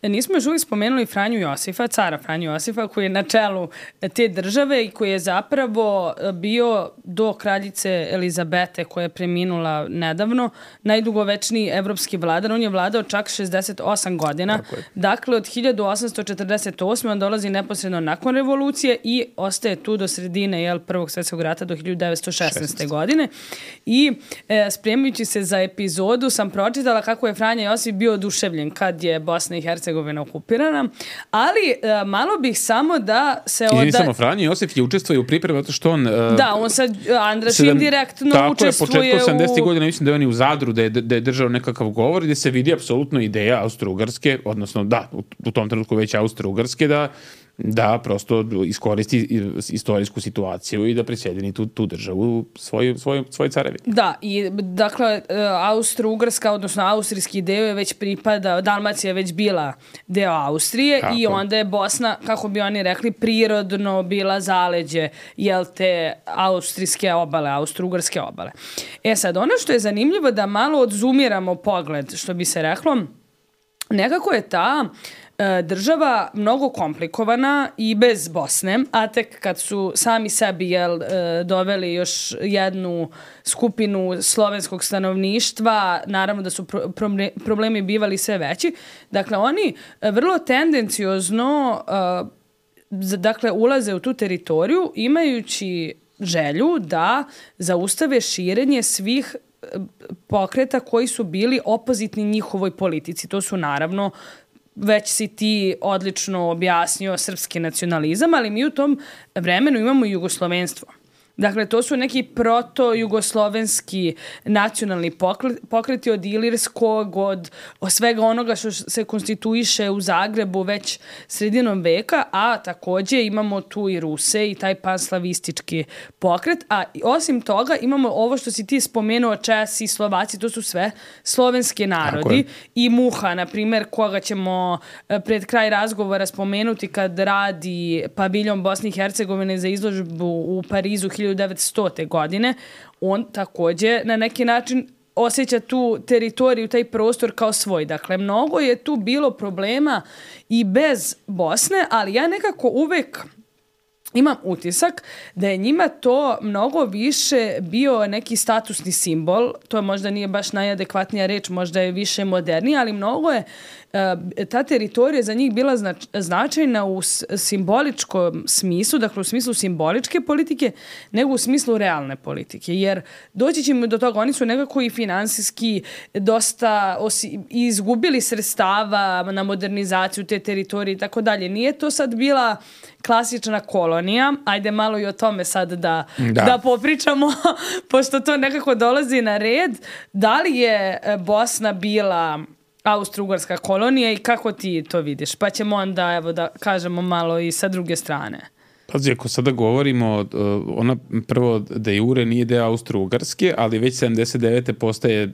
Nismo još uvijek spomenuli Franju Josifa, cara Franju Josifa, koji je na čelu te države i koji je zapravo bio do kraljice Elizabete, koja je preminula nedavno, najdugovečniji evropski vladar. On je vladao čak šezdeset osam godina. Dakle, od hiljadu osamsto četrdeset osme on dolazi neposredno nakon revolucije i ostaje tu do sredine jel, Prvog svjetskog rata do hiljadu devetsto šesnaeste. godine. I e, spremajući se za epizodu sam pročitala kako je Franja Josif bio oduševljen kad je Bosna i Hercegovina okupirana, ali uh, malo bih samo da se... Izvini oda... samo, Franja Josif je učestvuje u pripremi zato što on... Uh, da, on sa Andrašim sedam... direktno tako učestvuje je, početkom sedamdesetih u... godina, mislim da je on i u Zadru, da je, da je držao nekakav govor gdje se vidi apsolutno ideja Austro-Ugarske, odnosno da, u, u tom trenutku već Austro-Ugarske, da da prosto iskoristi istorijsku situaciju i da prisjedini tu, tu državu svoj, svoj, svoj carevi. Da, i dakle, Austro-Ugarska, odnosno austrijski deo je već pripada, Dalmacija je već bila deo Austrije. Tako. I onda je Bosna, kako bi oni rekli, prirodno bila zaleđe, jel te, austrijske obale, Austro-Ugarske obale. E sad, ono što je zanimljivo da malo odzumiramo pogled, što bi se reklo, nekako je ta država mnogo komplikovana i bez Bosne, a tek kad su sami sebi jel, doveli još jednu skupinu slovenskog stanovništva, naravno da su problemi bivali sve veći. Dakle, oni vrlo tendenciozno dakle, ulaze u tu teritoriju imajući želju da zaustave širenje svih pokreta koji su bili opozitni njihovoj politici. To su naravno, već si ti odlično objasnio, srpski nacionalizam, ali mi u tom vremenu imamo i jugoslovenstvo. Dakle, to su neki proto-jugoslovenski nacionalni pokreti od ilirskog, od, od svega onoga što se konstituiše u Zagrebu već sredinom veka, a također imamo tu i Ruse i taj panslavistički pokret, a osim toga imamo ovo što si ti spomenuo, Česi, Slovaci, to su sve slovenski narodi i Muha, na primjer, koga ćemo pred kraj razgovora spomenuti kad radi paviljon Bosne i Hercegovine za izložbu u Parizu hiljadu devetstote. godine, on također na neki način osjeća tu teritoriju, taj prostor kao svoj. Dakle, mnogo je tu bilo problema i bez Bosne, ali ja nekako uvek imam utisak da je njima to mnogo više bio neki statusni simbol, to možda nije baš najadekvatnija reč, možda je više modernija, ali mnogo je ta teritorija za njih bila znač, značajna u simboličkom smislu, dakle u smislu simboličke politike, nego u smislu realne politike. Jer doći ćemo do toga, oni su nekako i finansijski dosta osi, izgubili sredstava na modernizaciju te teritorije i tako dalje. Nije to sad bila klasična kolonija. Ajde malo i o tome sad da, da. da popričamo, pošto to nekako dolazi na red. Da li je Bosna bila Austro-Ugarska kolonija i kako ti to vidiš? Pa ćemo onda, evo, da kažemo malo i sa druge strane. Pazi, ako sada govorimo, ona prvo de jure nije deo Austro-Ugarske, ali već sedamdeset devete postaje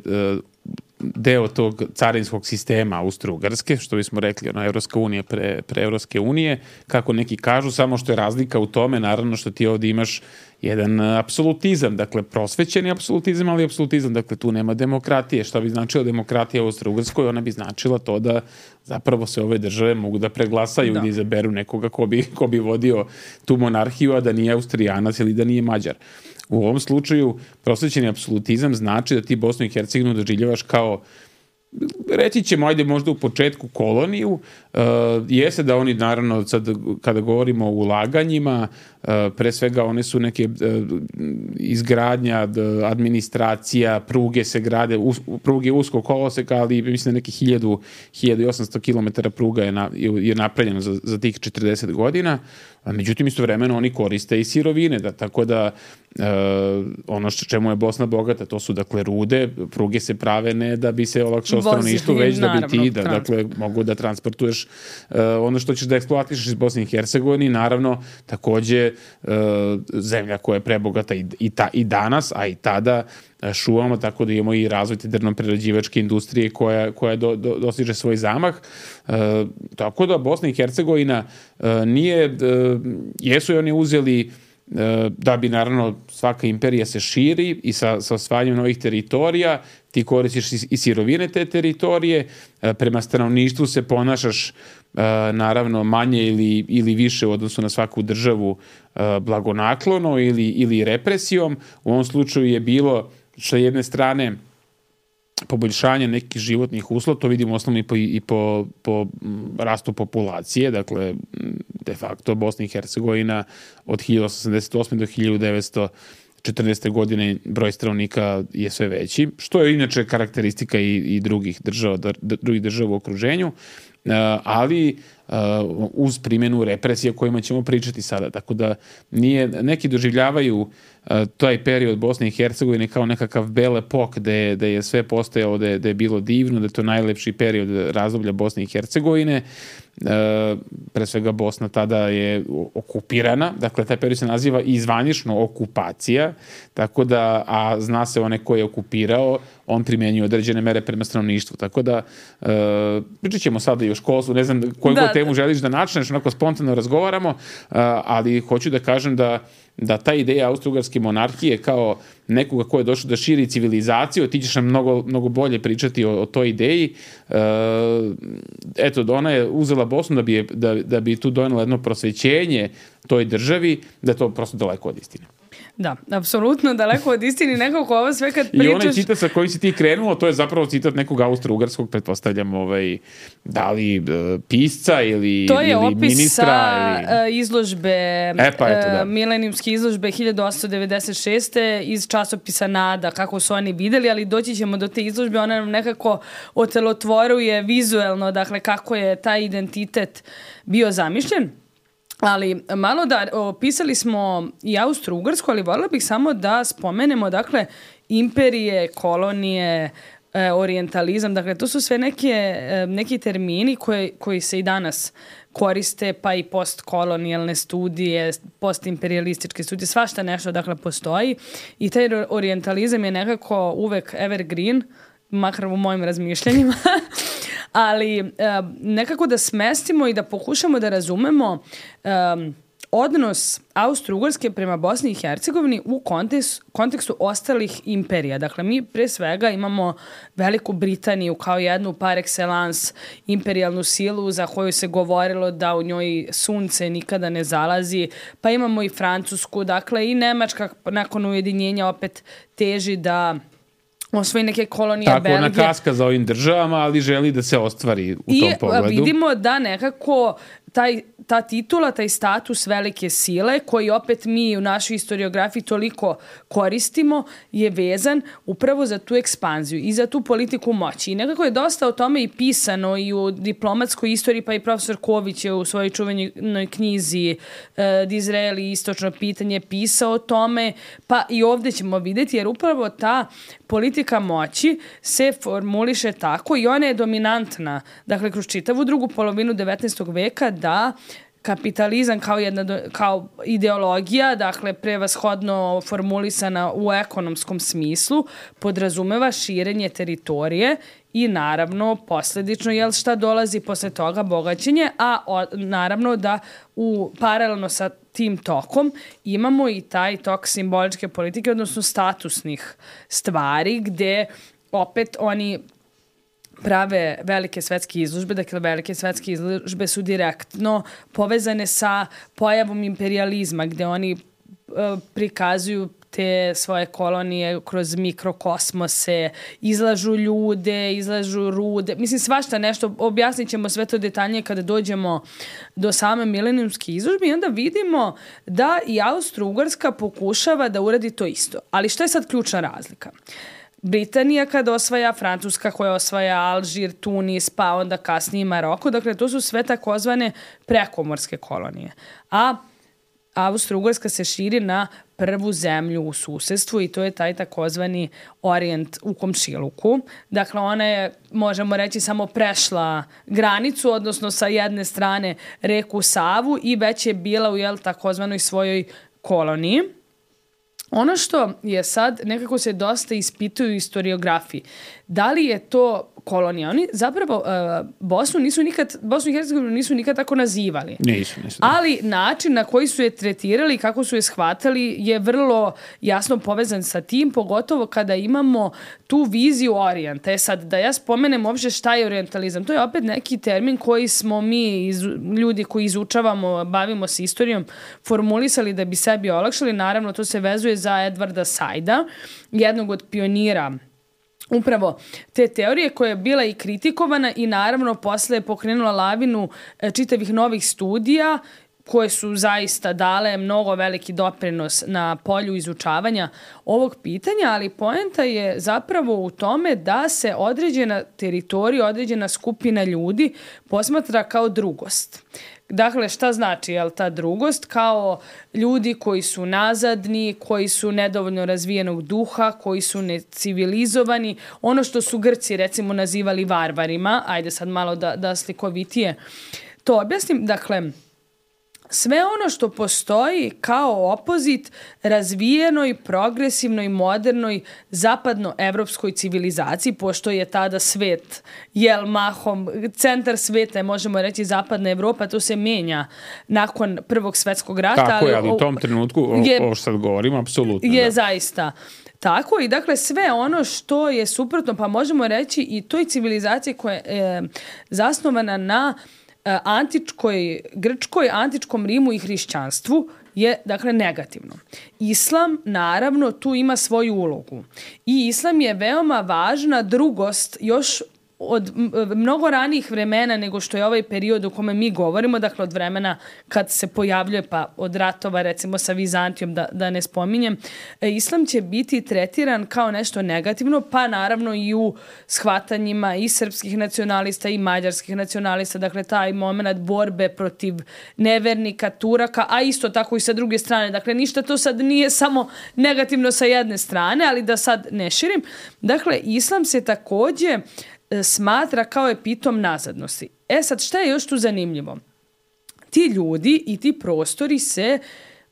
deo tog carinskog sistema Austro-Ugarske, što bismo rekli, ono, Evropska unija pre, pre Evropske unije, kako neki kažu, samo što je razlika u tome, naravno, što ti ovdje imaš jedan apsolutizam, dakle prosvećeni apsolutizam, ali apsolutizam, dakle tu nema demokratije. Šta bi značila demokratija u Austro-Ugarskoj? Ona bi značila to da zapravo se ove države mogu da preglasaju da. i da izaberu nekoga ko bi, ko bi vodio tu monarhiju, a da nije Austrijanac ili da nije Mađar. U ovom slučaju prosvećeni apsolutizam znači da ti Bosnu i Hercegovinu doživljavaš kao, reći ćemo, ajde možda u početku koloniju, uh, jeste da oni naravno sad kada govorimo o ulaganjima, uh, pre svega one su neke uh, izgradnja, administracija, pruge se grade, us, pruge uskog koloseka, ali mislim da neki hiljadu, hiljadu i osamsto kilometara pruga je, na, je napravljeno za, za tih četrdeset godina, a međutim istovremeno oni koriste i sirovine, da, tako da uh, ono što čemu je Bosna bogata, to su dakle rude, pruge se prave ne da bi se olakšao stanovništvo, već da bi ti da, dakle, mogu da transportuješ uh, ono što ćeš da eksploatišeš iz Bosne i Hercegovine, naravno takođe uh, zemlja koja je prebogata i, i, ta, i danas, a i tada šumama, tako da imamo i razvoj te drvno-prerađivačke industrije koja, koja do, do, dostiže svoj zamah. E, tako da Bosna i Hercegovina e, nije, e, jesu i oni uzeli e, da bi naravno svaka imperija se širi i sa, sa osvajanjem novih teritorija ti koristiš i, i sirovine te teritorije, e, prema stanovništvu se ponašaš e, naravno manje ili, ili više u odnosu na svaku državu e, blagonaklono ili, ili represijom. U ovom slučaju je bilo sa jedne strane poboljšanje nekih životnih uslova, to vidimo osnovno i po, i po, po rastu populacije, dakle de facto Bosna i Hercegovina od hiljadu osamsto osamdeset osme do hiljadu devetsto četrnaeste godine broj stanovnika je sve veći, što je inače karakteristika i, i drugih država, drugih država u okruženju, ali uz primjenu represija o kojima ćemo pričati sada. Tako da nije, neki doživljavaju taj period Bosne i Hercegovine kao nekakav bele pok gde, gde je sve postojalo, gde, gde je bilo divno, da je to najlepši period razdoblja Bosne i Hercegovine. E, pre svega Bosna tada je okupirana, dakle taj period se naziva i zvanično okupacija, tako da, a zna se onaj ko je okupirao, on primjenjuje određene mere prema stanovništvu, tako da e, pričat ćemo sada i o školstvu, ne znam koju da, god temu želiš da načneš, onako spontano razgovaramo, a, ali hoću da kažem da da ta ideja austro-ugarske monarhije kao nekoga ko je došao da širi civilizaciju, ti ćeš nam mnogo, mnogo bolje pričati o, o toj ideji. E, eto, ona je uzela Bosnu da bi, da, da bi tu donela jedno prosvećenje toj državi, da je to prosto daleko od istine. Da, apsolutno daleko od istine, nekako ovo sve kad pričaš... I onaj citat sa kojim si ti krenuo, to je zapravo citat nekog austro-ugarskog, pretpostavljam, ovaj, da li uh, pisca ili, to je ili opis ministra. Sa ili... izložbe, e, pa eto, da. milenijumske izložbe hiljadu osamsto devedeset šeste iz časopisa Nada, kako su oni videli, ali doći ćemo do te izložbe, ona nam nekako otelotvoruje vizuelno, dakle, kako je taj identitet bio zamišljen. Ali malo da, opisali smo i Austro-Ugarsku, ali voljela bih samo da spomenemo, dakle, imperije, kolonije, e, orijentalizam, dakle, to su sve neke, e, neki termini koje, koji se i danas koriste, pa i postkolonijalne studije, postimperialističke studije, svašta nešto, dakle, postoji i taj orijentalizam je nekako uvek evergreen, makar u mojim razmišljanjima, ali um, nekako da smestimo i da pokušamo da razumemo um, odnos Austro-Ugarske prema Bosni i Hercegovini u kontekst, kontekstu ostalih imperija. Dakle, mi pre svega imamo Veliku Britaniju kao jednu par excellence imperijalnu silu za koju se govorilo da u njoj sunce nikada ne zalazi, pa imamo i Francusku, dakle i Nemačka nakon ujedinjenja opet teži da osvoji neke kolonije Tako, Belgije. ona kaska za ovim državama, ali želi da se ostvari u I tom pogledu. I vidimo da nekako taj, ta titula, taj status velike sile, koji opet mi u našoj historiografiji toliko koristimo, je vezan upravo za tu ekspanziju i za tu politiku moći. I nekako je dosta o tome i pisano i u diplomatskoj istoriji, pa i profesor Ković je u svojoj čuvenoj knjizi e, Dizrael i istočno pitanje pisao o tome, pa i ovdje ćemo vidjeti, jer upravo ta politika moći se formuliše tako i ona je dominantna, dakle, kroz čitavu drugu polovinu devetnaestog veka, da kapitalizam kao jedna kao ideologija, dakle prevashodno formulisana u ekonomskom smislu, podrazumeva širenje teritorije i naravno posljedično jel šta dolazi posle toga bogaćenje, a o, naravno da u paralelno sa tim tokom imamo i taj tok simboličke politike, odnosno statusnih stvari, gde opet oni prave velike svetske izložbe, dakle velike svetske izložbe su direktno povezane sa pojavom imperializma, gde oni e, prikazuju te svoje kolonije kroz mikrokosmose, izlažu ljude, izlažu rude, mislim svašta nešto, objasnit ćemo sve to detaljnije kada dođemo do same milenijumske izložbe i onda vidimo da i Austro-Ugarska pokušava da uradi to isto. Ali šta je sad ključna razlika? Britanija kada osvaja, Francuska koja osvaja Alžir, Tunis, pa onda kasnije Maroko, dakle to su sve takozvane prekomorske kolonije. A Austro-Ugarska se širi na prvu zemlju u susedstvu i to je taj takozvani Orijent u komšiluku. Dakle, ona je, možemo reći, samo prešla granicu, odnosno sa jedne strane reku Savu i već je bila u jel, takozvanoj svojoj koloniji. Ono što je sad, nekako se dosta ispituju u historiografiji, da li je to kolonija? Oni zapravo uh, Bosnu nisu nikad, Bosnu i Hercegovinu nisu nikad tako nazivali. Nisu, nisu. Ali način na koji su je tretirali, kako su je shvatali, je vrlo jasno povezan sa tim, pogotovo kada imamo tu viziju orijenta. E sad, da ja spomenem uopšte šta je orijentalizam, to je opet neki termin koji smo mi, iz, ljudi koji izučavamo, bavimo se istorijom, formulisali da bi sebi olakšali. Naravno, to se vezuje za Edvarda Saida, jednog od pionira upravo te teorije koja je bila i kritikovana i naravno posle je pokrenula lavinu čitavih novih studija koje su zaista dale mnogo veliki doprinos na polju izučavanja ovog pitanja, ali poenta je zapravo u tome da se određena teritorija, određena skupina ljudi posmatra kao drugost. Dakle, šta znači jel, ta drugost? Kao ljudi koji su nazadni, koji su nedovoljno razvijenog duha, koji su necivilizovani, ono što su Grci recimo nazivali varvarima, ajde sad malo da, da slikovitije to objasnim, dakle, sve ono što postoji kao opozit razvijenoj, progresivnoj, modernoj, zapadnoevropskoj civilizaciji, pošto je tada svet, jel mahom, centar sveta je, možemo reći, zapadna Evropa, to se menja nakon Prvog svetskog rata. Tako ali, je, ali u tom trenutku, je, ovo što sad govorimo, apsolutno. Je da. zaista tako i dakle sve ono što je suprotno, pa možemo reći i toj civilizaciji koja je e, zasnovana na antičkoj Grčkoj, antičkom Rimu i hrišćanstvu je, dakle, negativno. Islam, naravno, tu ima svoju ulogu. I islam je veoma važna drugost još od mnogo ranijih vremena nego što je ovaj period u kome mi govorimo, dakle od vremena kad se pojavljuje, pa od ratova recimo sa Vizantijom, da, da ne spominjem, islam će biti tretiran kao nešto negativno, pa naravno i u shvatanjima i srpskih nacionalista i mađarskih nacionalista, dakle taj moment borbe protiv nevernika, Turaka, a isto tako i sa druge strane, dakle ništa to sad nije samo negativno sa jedne strane, ali da sad ne širim. Dakle, islam se takođe smatra kao epitom nazadnosti. E sad, šta je još tu zanimljivo? Ti ljudi i ti prostori se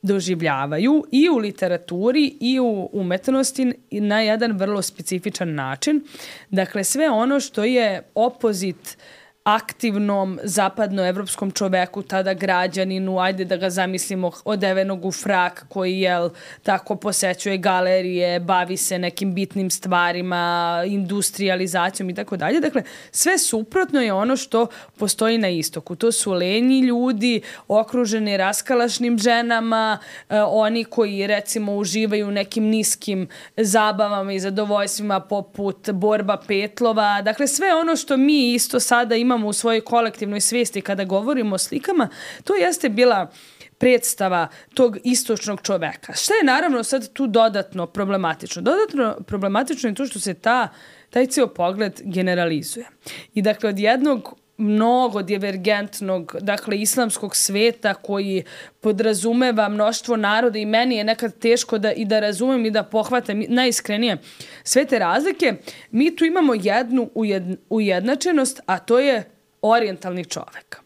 doživljavaju i u literaturi i u umetnosti na jedan vrlo specifičan način. Dakle, sve ono što je opozit aktivnom zapadnoevropskom čoveku, tada građaninu, ajde da ga zamislimo odevenog u frak koji jel, tako posećuje galerije, bavi se nekim bitnim stvarima, industrializacijom i tako dalje. Dakle, sve suprotno je ono što postoji na istoku. To su lenji ljudi, okruženi raskalašnim ženama, eh, oni koji recimo uživaju u nekim niskim zabavama i zadovoljstvima poput borba petlova. Dakle, sve ono što mi isto sada imamo u svojoj kolektivnoj svijesti kada govorimo o slikama, to jeste bila predstava tog istočnog čoveka. Šta je naravno sad tu dodatno problematično? Dodatno problematično je to što se ta, taj cijel pogled generalizuje. I dakle, od jednog mnogo divergentnog, dakle, islamskog sveta koji podrazumeva mnoštvo naroda i meni je nekad teško da i da razumem i da pohvatam najiskrenije sve te razlike, mi tu imamo jednu ujed, ujednačenost, a to je orijentalni čovek.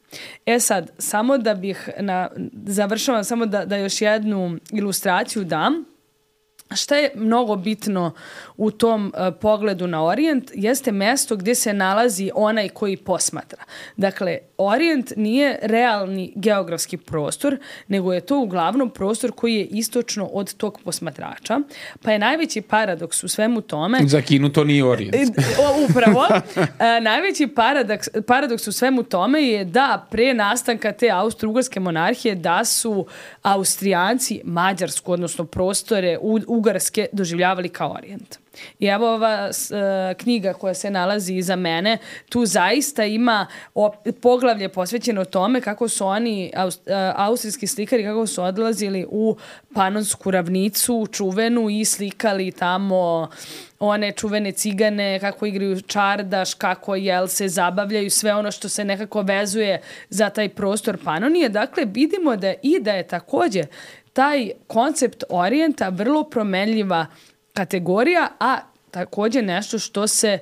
E sad, samo da bih, na, završavam samo da, da još jednu ilustraciju dam. Šta je mnogo bitno u tom uh, pogledu na Orijent jeste mesto gdje se nalazi onaj koji posmatra. Dakle, Orijent nije realni geografski prostor, nego je to uglavnom prostor koji je istočno od tog posmatrača. Pa je najveći paradoks u svemu tome... Za Kinu to nije Orijent. Upravo. uh, najveći paradoks, paradoks u svemu tome je da pre nastanka te austro-ugarske monarhije da su Austrijanci Mađarsku, odnosno prostore u Ugarske doživljavali kao Orijent. I evo ova uh, knjiga koja se nalazi iza mene, tu zaista ima op- poglavlje posvećeno tome kako su oni, aust- uh, austrijski slikari, kako su odlazili u Panonsku ravnicu, čuvenu, i slikali tamo one čuvene cigane, kako igraju čardaš, kako jel se zabavljaju, sve ono što se nekako vezuje za taj prostor Panonije. Dakle, vidimo da i da je također taj koncept Orijenta vrlo promenljiva kategorija, a također nešto što se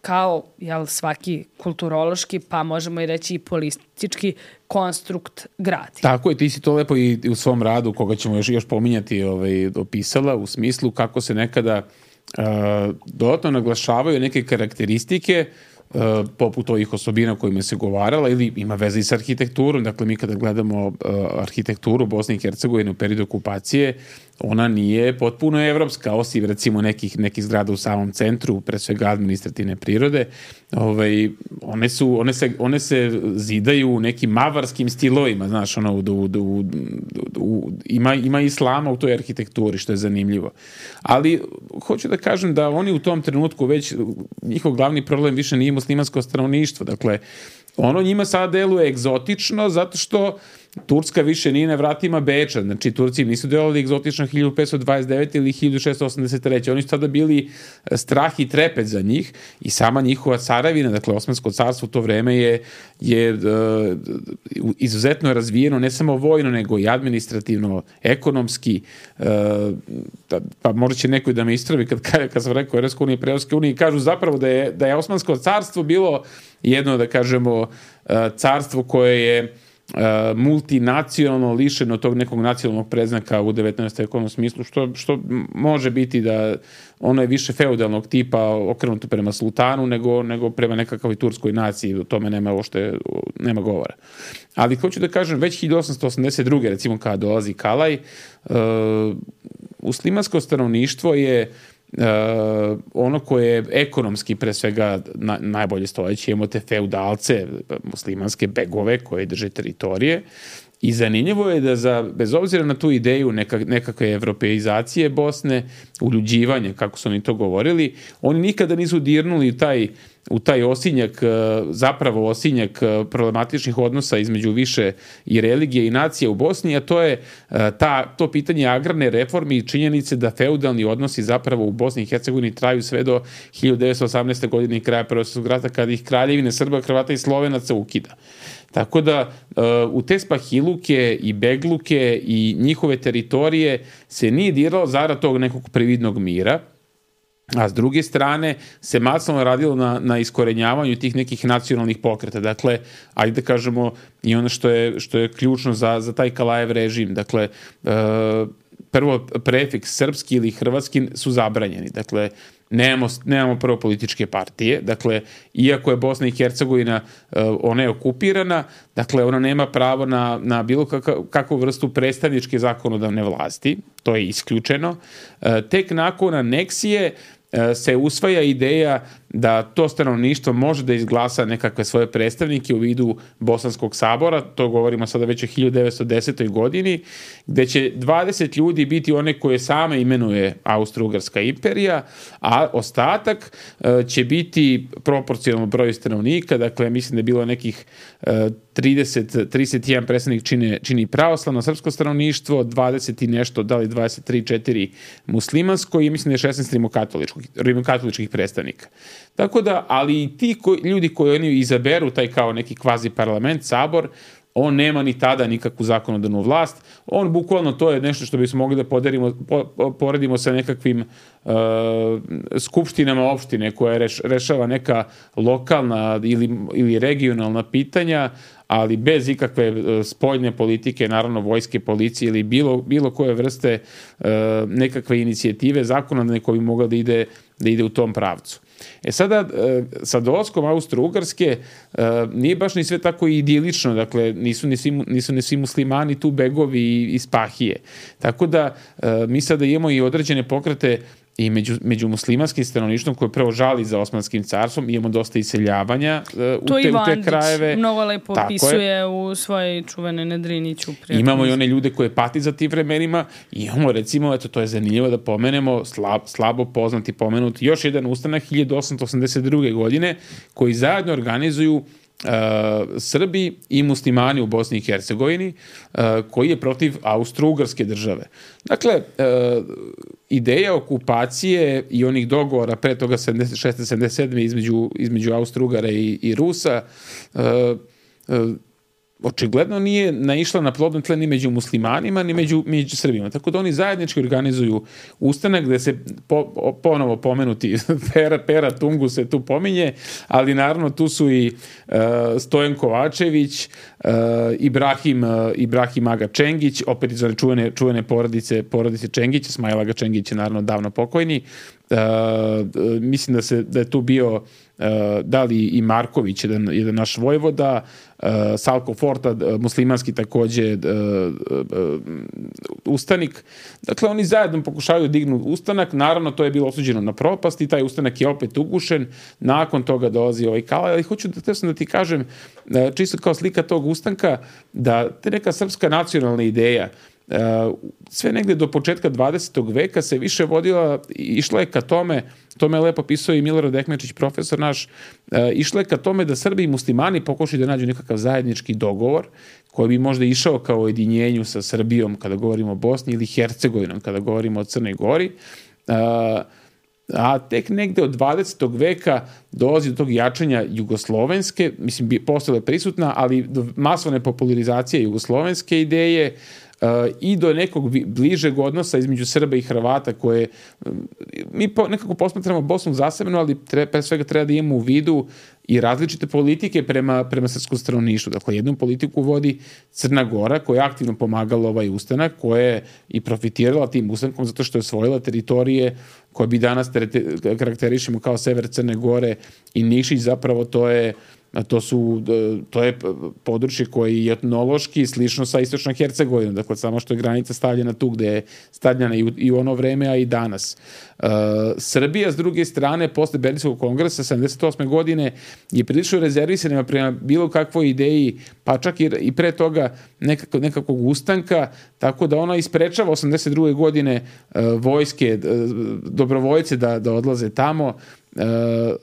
kao jel, svaki kulturološki, pa možemo i reći i politički konstrukt gradi. Tako je, ti si to lepo i u svom radu, koga ćemo još, još pominjati, ovaj, opisala u smislu kako se nekada uh, dodatno naglašavaju neke karakteristike Uh, poput ovih osobina kojima se govarala ili ima veze i sa arhitekturom. Dakle, mi kada gledamo uh, arhitekturu Bosne i Hercegovine u periodu okupacije, ona nije potpuno evropska, osim recimo nekih, nekih zgrada u samom centru, pre svega administrativne prirode. Ovaj, one, su, one, se, one se zidaju u nekim mavarskim stilovima, znaš, ono, u, u, u, u, ima, ima islama u toj arhitekturi, što je zanimljivo. Ali hoću da kažem da oni u tom trenutku već, njihov glavni problem više nije muslimansko stanovništvo. Dakle, ono njima sada deluje egzotično zato što Turska više nije na vratima Beča. Znači, Turci nisu delovali egzotično hiljadu petsto dvadeset devete ili hiljadu šessto osamdeset treće. Oni su tada bili strah i trepet za njih i sama njihova caravina, dakle, Osmansko carstvo u to vreme je, je uh, izuzetno razvijeno, ne samo vojno, nego i administrativno, ekonomski. Uh, da, pa možda će neko da me istravi kad, kad sam rekao Evropska unija i pre-Evropske unije, kažu zapravo da je, da je Osmansko carstvo bilo jedno, da kažemo, uh, carstvo koje je Uh, multinacionalno, lišeno tog nekog nacionalnog predznaka u devetnaestom vekovnom smislu, što, što može biti da ono je više feudalnog tipa okrenuto prema sultanu nego, nego prema nekakvoj turskoj naciji, o tome nema uopšte, nema govora. Ali hoću da kažem, već hiljadu osamsto osamdeset druge recimo kada dolazi Kalaj, uh, muslimansko stanovništvo je Uh, ono koje je ekonomski pre svega na, najbolje stojeće. Imamo te feudalce, muslimanske begove koje drže teritorije i zanimljivo je da za, bez obzira na tu ideju neka, nekakve evropeizacije Bosne, uljuđivanje, kako su oni to govorili, oni nikada nisu dirnuli taj u taj osinjak, zapravo osinjak problematičnih odnosa između više i religije i nacije u Bosni, a to je ta, to pitanje agrarne reforme i činjenice da feudalni odnosi zapravo u Bosni i Hercegovini traju sve do hiljadu devetsto osamnaeste. godine i kraja Prvog svjetskog rata, kada ih kraljevine Srba, Hrvata i Slovenaca ukida. Tako da u te spahiluke i begluke i njihove teritorije se nije diralo zarad tog nekog prividnog mira, a s druge strane se masovno radilo na, na iskorenjavanju tih nekih nacionalnih pokreta. Dakle, ajde da kažemo i ono što je, što je ključno za, za taj Kalajev režim. Dakle, e, prvo prefiks srpski ili hrvatski su zabranjeni. Dakle, nemamo, nemamo prvo političke partije. Dakle, iako je Bosna i Hercegovina, ona je okupirana, dakle, ona nema pravo na, na bilo kakav, kakvu vrstu predstavničke zakonodavne vlasti. To je isključeno. Tek nakon aneksije se usvaja ideja da to stanovništvo može da izglasa nekakve svoje predstavnike u vidu Bosanskog sabora, to govorimo sada već o hiljadu devetsto desetoj godini, gde će dvadeset ljudi biti one koje sama imenuje Austro-Ugarska imperija, a ostatak će biti proporcionalno broju stanovnika, dakle mislim da je bilo nekih trideset, trideset jedan predstavnik čini, čini pravoslavno srpsko stanovništvo, dvadeset i nešto, da li dvadeset tri četiri muslimansko i mislim da je šesnaest rimokatoličkih, rimokatoličkih predstavnika. Tako da, ali i ti koji, ljudi koji oni izaberu, taj kao neki kvazi parlament, sabor, on nema ni tada nikakvu zakonodavnu vlast. On bukvalno, to je nešto što bismo mogli da poderimo, po, poredimo sa nekakvim uh, skupštinama opštine koja reš, rešava neka lokalna ili, ili regionalna pitanja, ali bez ikakve uh, spoljne politike, naravno vojske, policije ili bilo, bilo koje vrste uh, nekakve inicijative zakonodavne koja bi mogla da ide, da ide u tom pravcu. E sada, sa dolaskom Austro-Ugarske nije baš ni sve tako idilično, dakle nisu ni svi, nisu ni svi muslimani tu begovi i spahije. Tako da mi sada imamo i određene pokrete i među, među muslimanskim stanovništvom koje prvo žali za Osmanskim carstvom, imamo dosta iseljavanja uh, u, te, u te krajeve. Mnogo lepo opisuje u svojoj čuvenoj Nedriniću. Imamo i one ljude koje pati za tim vremenima i imamo recimo, eto to je zanimljivo da pomenemo, slab, slabo poznati pomenuti, još jedan ustanak hiljadu osamsto osamdeset druge godine koji zajedno organizuju Uh, Srbi i muslimani u Bosni i Hercegovini uh, koji je protiv Austro-Ugarske države. Dakle, uh, ideja okupacije i onih dogovora pre toga sedamdeset šeste sedamdeset sedme između, između Austro-Ugara i, i Rusa uh, uh, očigledno nije naišla na plodno tle ni među muslimanima, ni među, među Srbima. Tako da oni zajednički organizuju ustanak gde se po, ponovo pomenuti Pera, Pera Tungu se tu pominje, ali naravno tu su i uh, Stojan Kovačević, uh, Ibrahim, uh, Ibrahim Aga Čengić, opet iz one čuvene, čuvene porodice, porodice Čengića, Smajla Aga Čengić je naravno davno pokojni. Uh, uh, mislim da, se, da je tu bio uh, da li i Marković, jedan, jedan naš vojvoda, uh, Salko Forta, uh, muslimanski takođe uh, uh, ustanik. Dakle, oni zajedno pokušavaju dignu ustanak, naravno to je bilo osuđeno na propast i taj ustanak je opet ugušen, nakon toga dolazi ovaj Kalaj, ali hoću da, da ti kažem, uh, čisto kao slika tog ustanka, da te neka srpska nacionalna ideja Uh, sve negde do početka dvadesetog veka se više vodila, išla je ka tome, to me lepo pisao i Milorad Ekmečić, profesor naš, uh, išla je ka tome da Srbi i muslimani pokušaju da nađu nekakav zajednički dogovor koji bi možda išao kao ujedinjenju sa Srbijom kada govorimo o Bosni ili Hercegovinom kada govorimo o Crnoj Gori. Uh, a tek negde od dvadesetog veka dolazi do tog jačanja jugoslovenske, mislim, postala je prisutna, ali do masovne popularizacije jugoslovenske ideje, Uh, i do nekog bližeg odnosa između Srba i Hrvata koje mi po, nekako posmatramo Bosnu zasebno, ali tre, pre svega treba da imamo u vidu i različite politike prema, prema srpskom stanovništvu. Dakle, jednu politiku vodi Crna Gora koja je aktivno pomagala ovaj ustanak, koja je i profitirala tim ustankom zato što je osvojila teritorije koje bi danas karakterišemo kao sever Crne Gore i Nišić, zapravo to je To, su, to je područje koje je etnološki slično sa istočnom Hercegovinom, dakle samo što je granica stavljena tu gde je stavljena i u, i u ono vreme, a i danas. Uh, Srbija, s druge strane, posle Berlinskog kongresa sedamdeset osme godine je prilično rezervisana prema bilo kakvoj ideji, pa čak i, i pre toga nekako, nekakvog ustanka, tako da ona isprečava osamdeset druge godine uh, vojske, uh, dobrovoljce da, da odlaze tamo. Uh,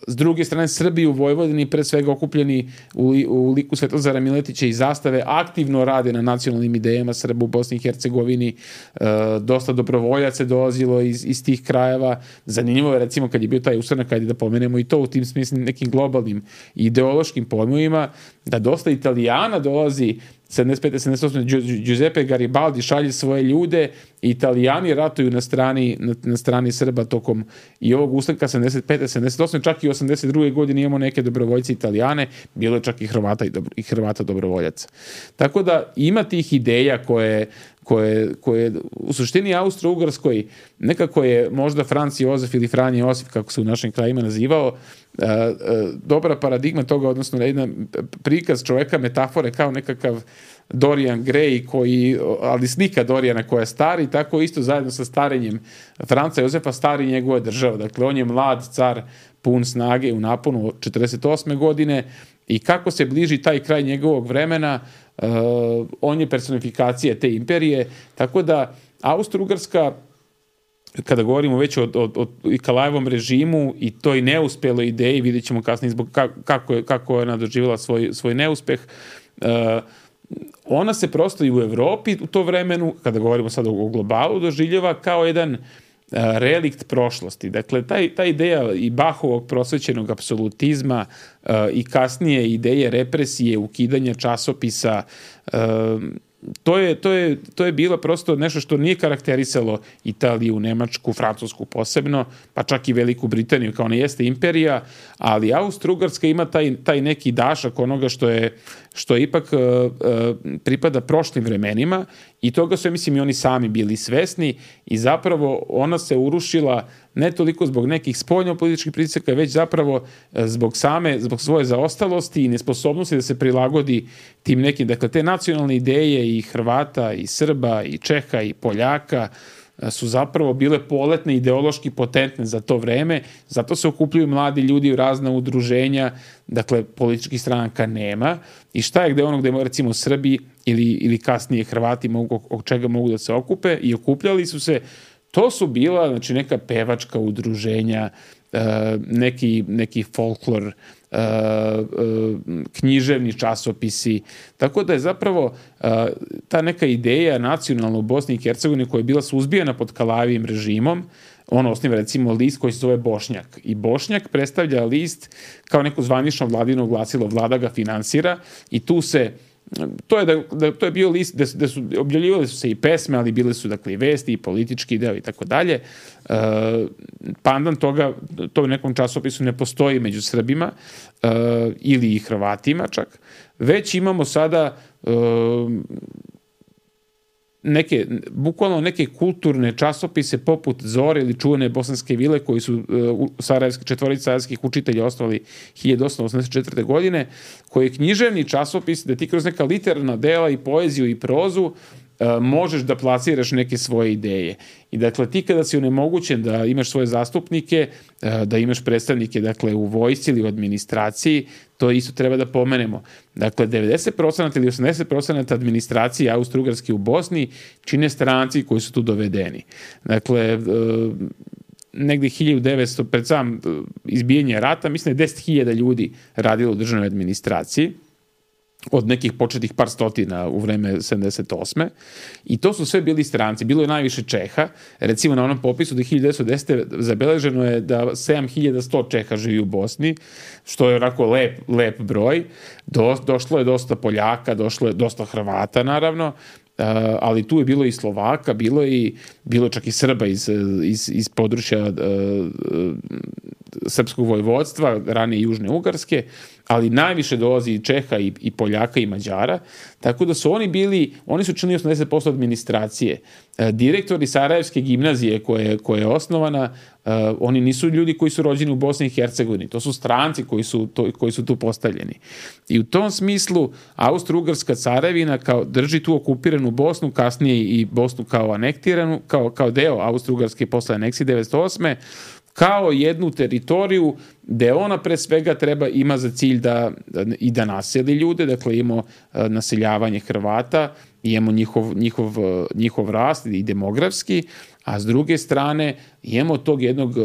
s druge strane, Srbi u Vojvodini, pre svega okupljeni u, u liku Svetozara Miletića i Zastave, aktivno rade na nacionalnim idejama Srba u Bosni i Hercegovini. Uh, dosta dobrovoljaca dolazilo iz, iz tih krajeva. Zanimljivo je, recimo, kad je bio taj ustanak, kad je da pomenemo i to u tim smislim nekim globalnim ideološkim pojmovima, da dosta Italijana dolazi sedamdeset pete sedamdeset osme Giuseppe Garibaldi šalje svoje ljude i Italijani ratuju na strani, na, na strani Srba tokom i ovog ustanka sedamdeset pete sedamdeset osme čak i osamdeset druge godine imamo neke dobrovoljce Italijane, bilo je čak i Hrvata i, dobro, i Hrvata dobrovoljaca. Tako da ima tih ideja koje, koje, koje u suštini Austro-Ugarskoj nekako je možda Franc Jozef ili Franje Josif, kako se u našim krajima nazivao, a, a, dobra paradigma toga, odnosno jedan prikaz čoveka, metafore kao nekakav Dorian Gray, koji, ali slika Dorijana koja je stari, tako isto zajedno sa starenjem Franca Jozefa stari njegova država. Dakle, on je mlad car, pun snage u naponu od četrdeset osme godine i kako se bliži taj kraj njegovog vremena, uh, on je personifikacija te imperije, tako da Austro-Ugarska, kada govorimo već o, o, o Kalajevom režimu i toj neuspeloj ideji, vidjet ćemo kasnije zbog kako je, kako je ona doživjela svoj, svoj neuspeh, uh, ona se prosto i u Evropi u to vremenu, kada govorimo sad o globalu, doživljava kao jedan a, relikt prošlosti. Dakle, taj, ta ideja i Bahovog prosvećenog apsolutizma a, i kasnije ideje represije, ukidanja časopisa, a, To je, to, je, to je bilo prosto nešto što nije karakterisalo Italiju, Nemačku, Francusku posebno, pa čak i Veliku Britaniju, kao ona jeste imperija, ali Austro-Ugarska ima taj, taj neki dašak onoga što je, što je ipak uh, uh, pripada prošlim vremenima i toga su, ja mislim, i oni sami bili svesni i zapravo ona se urušila ne toliko zbog nekih spoljnopolitičkih pritisaka, već zapravo zbog same, zbog svoje zaostalosti i nesposobnosti da se prilagodi tim nekim, dakle, te nacionalne ideje i Hrvata, i Srba, i Čeha, i Poljaka su zapravo bile poletne, ideološki potentne za to vreme, zato se okupljaju mladi ljudi u razna udruženja, dakle, političkih stranaka nema i šta je gde ono gde recimo Srbi ili, ili kasnije Hrvati mogu, od čega mogu da se okupe i okupljali su se. To su bila, znači, neka pevačka udruženja, neki, neki folklor, književni časopisi. Tako da je zapravo ta neka ideja nacionalna u Bosni i Hercegovini koja je bila suzbijena pod Kalajevim režimom, on osniva recimo list koji se zove Bošnjak. I Bošnjak predstavlja list kao neko zvanično vladino glasilo, vlada ga finansira i tu se To je, da, da, to je bio list gde, gde su objavljivali su se i pesme, ali bile su, dakle, i vesti i politički deo i tako dalje. Pandan toga, to u nekom časopisu ne postoji među Srbima uh, ili i Hrvatima čak, već imamo sada uh, neke, bukvalno neke kulturne časopise poput Zore ili čuvene Bosanske vile koji su uh, sarajevski, četvorica sarajevskih učitelja osnovali hiljadu osamsto osamdeset četvrte. godine, koji je književni časopis da ti kroz neka literarna dela i poeziju i prozu Uh, možeš da plasiraš neke svoje ideje. I dakle, ti kada si onemogućen da imaš svoje zastupnike, uh, da imaš predstavnike, dakle, u vojsci ili u administraciji, to isto treba da pomenemo. Dakle, devedeset posto ili osamdeset posto administracije Austro-Ugarske u Bosni čine stranci koji su tu dovedeni. Dakle, uh, negde hiljadu devetsto, pred sam uh, izbijanje rata, mislim da je deset hiljada ljudi radilo u državnoj administraciji, od nekih početnih par stotina u vreme sedamdeset osme. I to su sve bili stranci. Bilo je najviše Čeha. Recimo na onom popisu do hiljadu devetsto desete. zabeleženo je da sedam hiljada sto Čeha živi u Bosni, što je onako lep, lep broj. Do, došlo je dosta Poljaka, došlo je dosta Hrvata, naravno. Uh, ali tu je bilo i Slovaka, bilo je i bilo čak i Srba iz, iz, iz područja uh, uh, srpskog vojvodstva, ranije Južne Ugarske, ali najviše dolazi i Čeha i, i Poljaka i Mađara, tako da su oni bili, oni su činili osamdeset posto administracije. Uh, direktori Sarajevske gimnazije koje, koje je osnovana, uh, oni nisu ljudi koji su rođeni u Bosni i Hercegovini, to su stranci koji su, to, koji su tu postavljeni. I u tom smislu Austro-Ugarska carevina kao drži tu okupiranu Bosnu, kasnije i Bosnu kao anektiranu, kao, kao deo Austro-Ugarske posle aneksije devetsto osme, kao jednu teritoriju gde ona pre svega treba ima za cilj da, da i da naseli ljude, dakle imamo naseljavanje Hrvata, imamo njihov, njihov, njihov rast i demografski, a s druge strane imamo tog jednog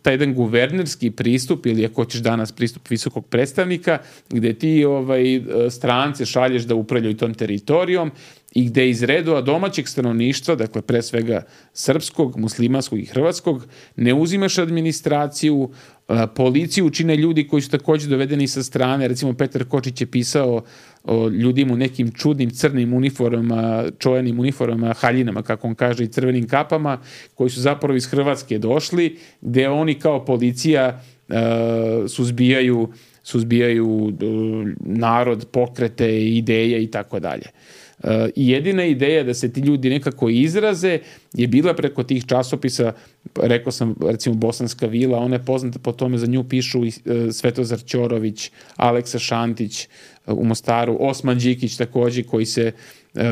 taj jedan guvernerski pristup ili ako hoćeš danas pristup visokog predstavnika gde ti ovaj, strance šalješ da upravljaju tom teritorijom i gde iz redova domaćeg stanovništva, dakle pre svega srpskog, muslimanskog i hrvatskog, ne uzimaš administraciju, policiju čine ljudi koji su takođe dovedeni sa strane. Recimo Petar Kočić je pisao o ljudima u nekim čudnim crnim uniformama, čovenim uniformama, haljinama, kako on kaže, i crvenim kapama, koji su zapravo iz Hrvatske došli, gde oni kao policija uh, suzbijaju, suzbijaju uh, narod, pokrete, ideje i tako dalje. I jedina ideja da se ti ljudi nekako izraze je bila preko tih časopisa, rekao sam recimo Bosanska vila, ona je poznata po tome, za nju pišu i Svetozar Ćorović, Aleksa Šantić u Mostaru, Osman Đikić takođe, koji se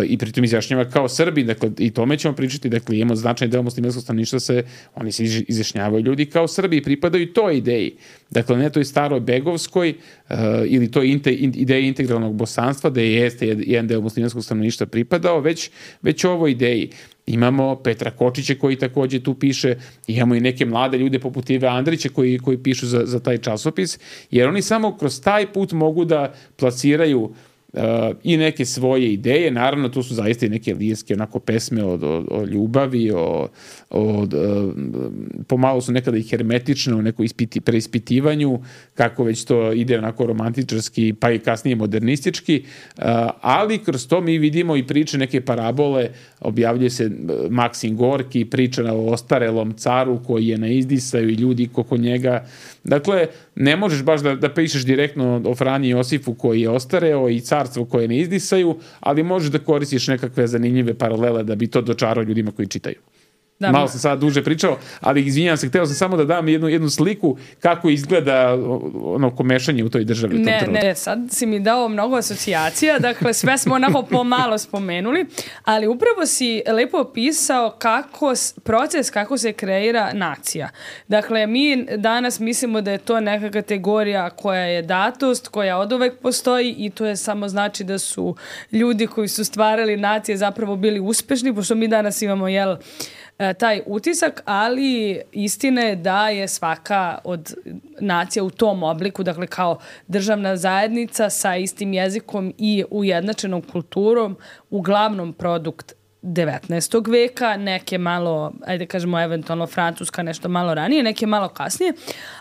i pritom izjašnjava kao Srbi, dakle i tome ćemo pričati, dakle imamo značajni deo muslimanskog stanovništva, se oni se izjašnjavaju ljudi kao Srbi i pripadaju toj ideji, dakle ne toj staroj begovskoj uh, ili toj inte, in, ideji integralnog bosanstva da je jeste jedan deo muslimanskog stanovništva pripadao, već, već ovoj ideji. Imamo Petra Kočića koji takođe tu piše, imamo i neke mlade ljude poput Ive Andrića koji, koji pišu za, za taj časopis, jer oni samo kroz taj put mogu da plasiraju Uh, i neke svoje ideje, naravno tu su zaista i neke lirske onako pesme o, o, o ljubavi, o, o uh, pomalo su nekada i hermetične u nekoj ispiti, preispitivanju, kako već to ide onako romantičarski, pa i kasnije modernistički, uh, ali kroz to mi vidimo i priče, neke parabole, objavljuje se Maksim Gorki, priča o ostarelom caru koji je na izdisaju i ljudi oko njega. Dakle, ne možeš baš da, da pišeš direktno o Franji Josifu koji je ostareo i carstvo koje ne izdisaju, ali možeš da koristiš nekakve zanimljive paralele da bi to dočarao ljudima koji čitaju. Da, malo sam sad duže pričao, ali izvinjam se, hteo sam samo da dam jednu, jednu sliku kako izgleda ono komešanje u toj državi. Ne, ne, sad si mi dao mnogo asocijacija, dakle sve smo onako pomalo spomenuli, ali upravo si lepo opisao kako, proces kako se kreira nacija. Dakle, mi danas mislimo da je to neka kategorija koja je datost, koja oduvek postoji i to je samo znači da su ljudi koji su stvarali nacije zapravo bili uspešni, pošto mi danas imamo, jel, taj utisak, ali istina je da je svaka od nacija u tom obliku, dakle kao državna zajednica sa istim jezikom i ujednačenom kulturom, uglavnom produkt devetnaestog veka, neke malo, ajde kažemo eventualno Francuska nešto malo ranije, neke malo kasnije,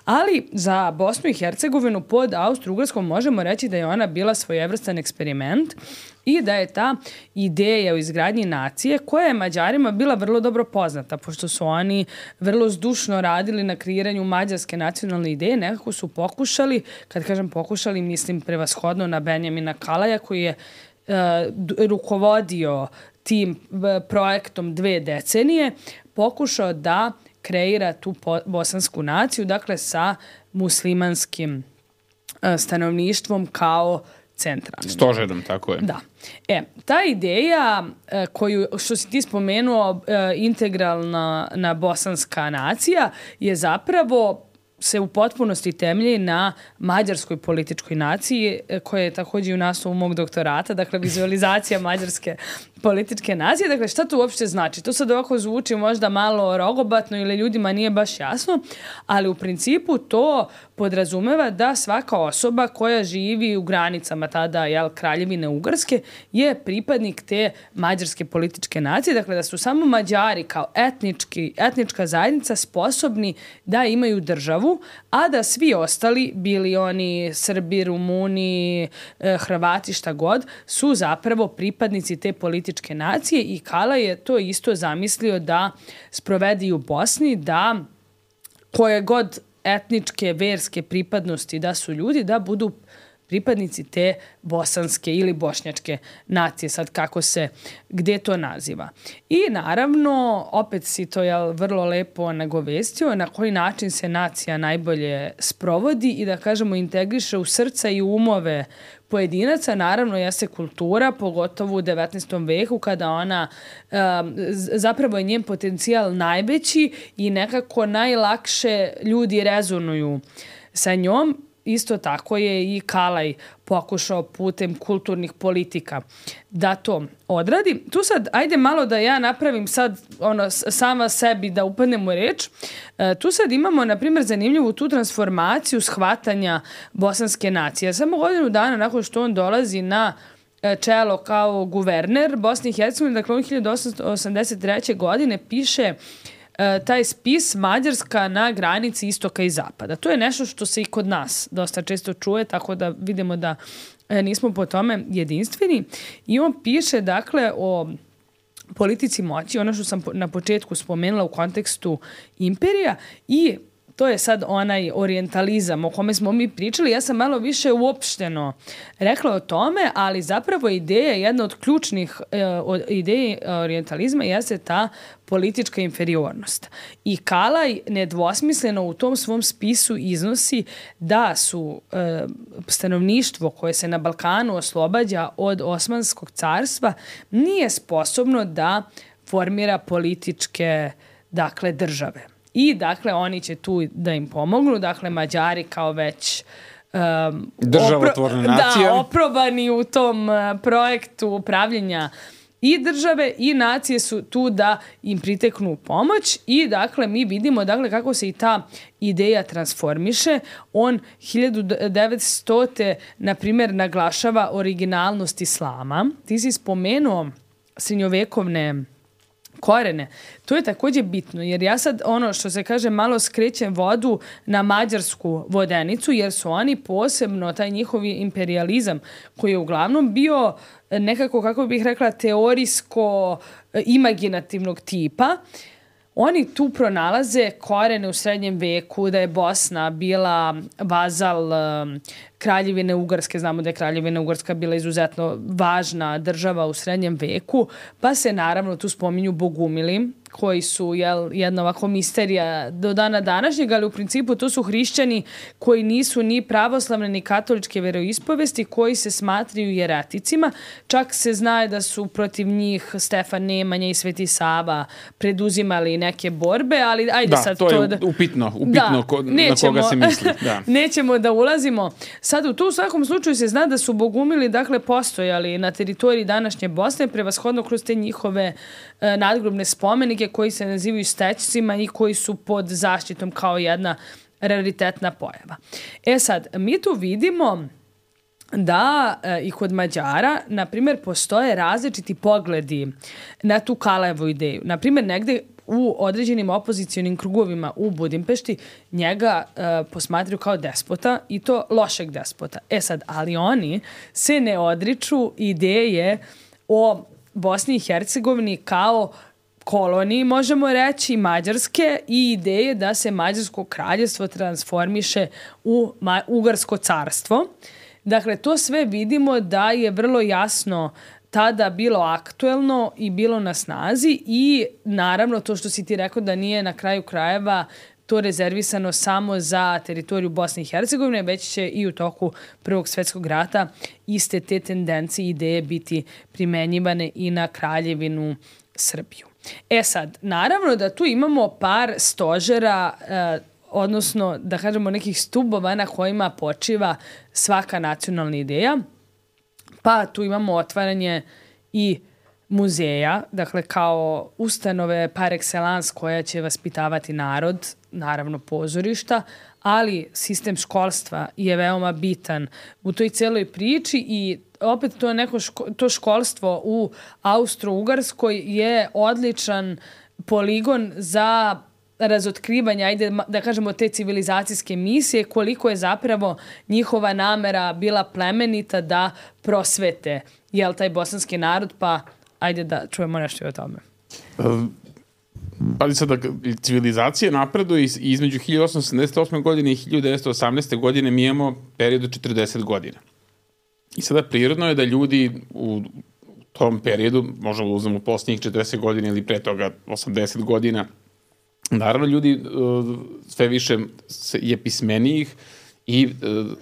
ali za Bosnu i Hercegovinu pod Austro-Ugarskom možemo reći da je ona bila svojevrstan eksperiment i da je ta ideja o izgradnji nacije, koja je Mađarima bila vrlo dobro poznata, pošto su oni vrlo zdušno radili na kreiranju mađarske nacionalne ideje, nekako su pokušali, kad kažem pokušali, mislim prevashodno na Benjamina Kalaja, koji je uh, rukovodio tim projektom dve decenije, pokušao da kreira tu bosansku naciju, dakle sa muslimanskim uh, stanovništvom kao centralnim. Stožerom, tako je. Da. E, ta ideja e, koju, što si ti spomenuo, e, integralna na bosanska nacija je zapravo se u potpunosti temelji na mađarskoj političkoj naciji, koja je također u naslovu mog doktorata, dakle vizualizacija mađarske političke nacije. Dakle, šta to uopšte znači? To sad ovako zvuči možda malo rogobatno ili ljudima nije baš jasno, ali u principu to podrazumeva da svaka osoba koja živi u granicama tada, jel, Kraljevine Ugarske je pripadnik te mađarske političke nacije. Dakle, da su samo Mađari kao etnički, etnička zajednica sposobni da imaju državu, a da svi ostali, bili oni Srbi, Rumuni, Hrvati, šta god, su zapravo pripadnici te političke nacije i Kala je to isto zamislio da sprovedi u Bosni, da koje god etničke, verske pripadnosti da su ljudi, da budu pripadnici te bosanske ili bošnjačke nacije, sad kako se, gde to naziva. I naravno, opet si to jel, vrlo lepo nagovestio, na koji način se nacija najbolje sprovodi i da kažemo integriše u srca i umove pojedinaca, naravno jeste kultura, pogotovo u devetnaestom veku kada ona um, zapravo je njen potencijal najveći i nekako najlakše ljudi rezonuju sa njom. Isto tako je i Kalaj pokušao putem kulturnih politika da to odradi. Tu sad, ajde malo da ja napravim sad ono, sama sebi da upadnem u reč. E, tu sad imamo, na primjer, zanimljivu tu transformaciju shvatanja bosanske nacije. Samo godinu dana nakon što on dolazi na čelo kao guverner Bosne i Hercegovine, dakle on hiljadu osamsto osamdeset treće. godine piše taj spis Mađarska na granici istoka i zapada. To je nešto što se i kod nas dosta često čuje, tako da vidimo da nismo po tome jedinstveni. I on piše, dakle, o politici moći, ono što sam na početku spomenula u kontekstu imperija i to je sad onaj orijentalizam o kome smo mi pričali. Ja sam malo više uopšteno rekla o tome, ali zapravo ideja, jedna od ključnih e, od ideje orijentalizma jeste ta politička inferiornost. I Kalaj nedvosmisleno u tom svom spisu iznosi da su e, stanovništvo koje se na Balkanu oslobađa od Osmanskog carstva nije sposobno da formira političke, dakle, države. I, dakle, oni će tu da im pomognu. Dakle, Mađari kao već um, državotvorna opro- nacija. Da, oprobani u tom uh, projektu upravljanja i države i nacije su tu da im priteknu pomoć i, dakle, mi vidimo, dakle, kako se i ta ideja transformiše. On hiljadu devetstote na primjer, naglašava originalnost islama. Ti si spomenuo srednjovekovne korene. To je također bitno, jer ja sad, ono što se kaže, malo skrećem vodu na mađarsku vodenicu, jer su oni posebno, taj njihovi imperializam, koji je uglavnom bio nekako, kako bih rekla, teorijsko-imaginativnog tipa, oni tu pronalaze korene u srednjem veku, da je Bosna bila vazal um, Kraljevine Ugarske. Znamo da je Kraljevina Ugarska bila izuzetno važna država u srednjem veku, pa se naravno tu spominju bogumili, koji su jel, jedna ovako misterija do dana današnjeg, ali u principu to su hrišćani koji nisu ni pravoslavne ni katoličke veroispovesti, koji se smatraju jereticima. Čak se zna da su protiv njih Stefan Nemanja i Sveti Sava preduzimali neke borbe, ali ajde da, sad to. to je da... upitno, upitno da, ko, nećemo, na koga se misli. Da. Nećemo da ulazimo. Sad u tu svakom slučaju se zna da su bogumili, dakle, postojali na teritoriji današnje Bosne, prevashodno kroz te njihove e, nadgrobne spomenike koji se nazivaju stećcima i koji su pod zaštitom kao jedna raritetna pojava. E sad, mi tu vidimo da e, i kod Mađara, na primjer, postoje različiti pogledi na tu Kalajevu ideju. Na primjer, negde u određenim opozicionim krugovima u Budimpešti njega e, posmatraju kao despota i to lošeg despota. E sad, ali oni se ne odriču ideje o Bosni i Hercegovini kao koloniji, možemo reći, Mađarske i ideje da se Mađarsko kraljevstvo transformiše u ma- Ugarsko carstvo. Dakle, to sve vidimo da je vrlo jasno tada bilo aktuelno i bilo na snazi i naravno to što si ti rekao da nije na kraju krajeva to rezervisano samo za teritoriju Bosne i Hercegovine, već će i u toku Prvog svjetskog rata iste te tendencije i ideje biti primenjivane i na Kraljevinu Srbiju. E sad, naravno da tu imamo par stožera, eh, odnosno da kažemo nekih stubova na kojima počiva svaka nacionalna ideja. Pa tu imamo otvaranje i muzeja, dakle kao ustanove par excellence koja će vaspitavati narod, naravno pozorišta, ali sistem školstva je veoma bitan u toj celoj priči i opet to neko ško, to školstvo u Austro-Ugarskoj je odličan poligon za razotkrivanje, ajde da kažemo, te civilizacijske misije, koliko je zapravo njihova namera bila plemenita da prosvete, jel, taj bosanski narod, pa ajde da čujemo nešto i o tome. Pa sada, civilizacije napreduje i između hiljadu osamsto sedamdeset osme. godine i hiljadu devetsto osamnaeste. godine mi imamo period od četrdeset godina. I sada prirodno je da ljudi u tom periodu, možemo uzmemo posljednjih četrdeset godina ili pre toga osamdeset godina, naravno ljudi sve više je pismenijih i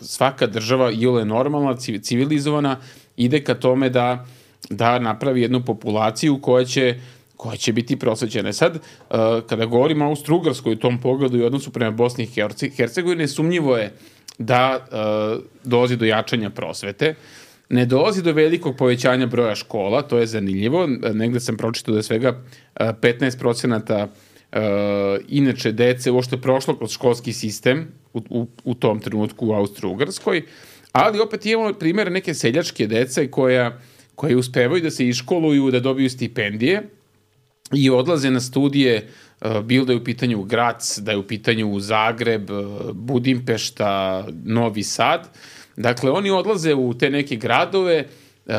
svaka država iole normalna, civilizovana, ide ka tome da, da napravi jednu populaciju koja će koja će biti prosvećena. Sad, kada govorimo o Austro-Ugarskoj u tom pogledu i odnosu prema Bosni i Hercegovine, sumnjivo je da dolazi do jačanja prosvete. Ne dolazi do velikog povećanja broja škola, to je zanimljivo. Negde sam pročitao da je svega petnaest procenata inače dece uopšte prošlo kroz školski sistem u, u, u tom trenutku u Austro-Ugarskoj, ali opet imamo primjer neke seljačke dece koja, koje uspevaju da se iškoluju, da dobiju stipendije i odlaze na studije, bilo da je u pitanju Grac, da je u pitanju Zagreb, Budimpešta, Novi Sad. Dakle, oni odlaze u te neke gradove uh,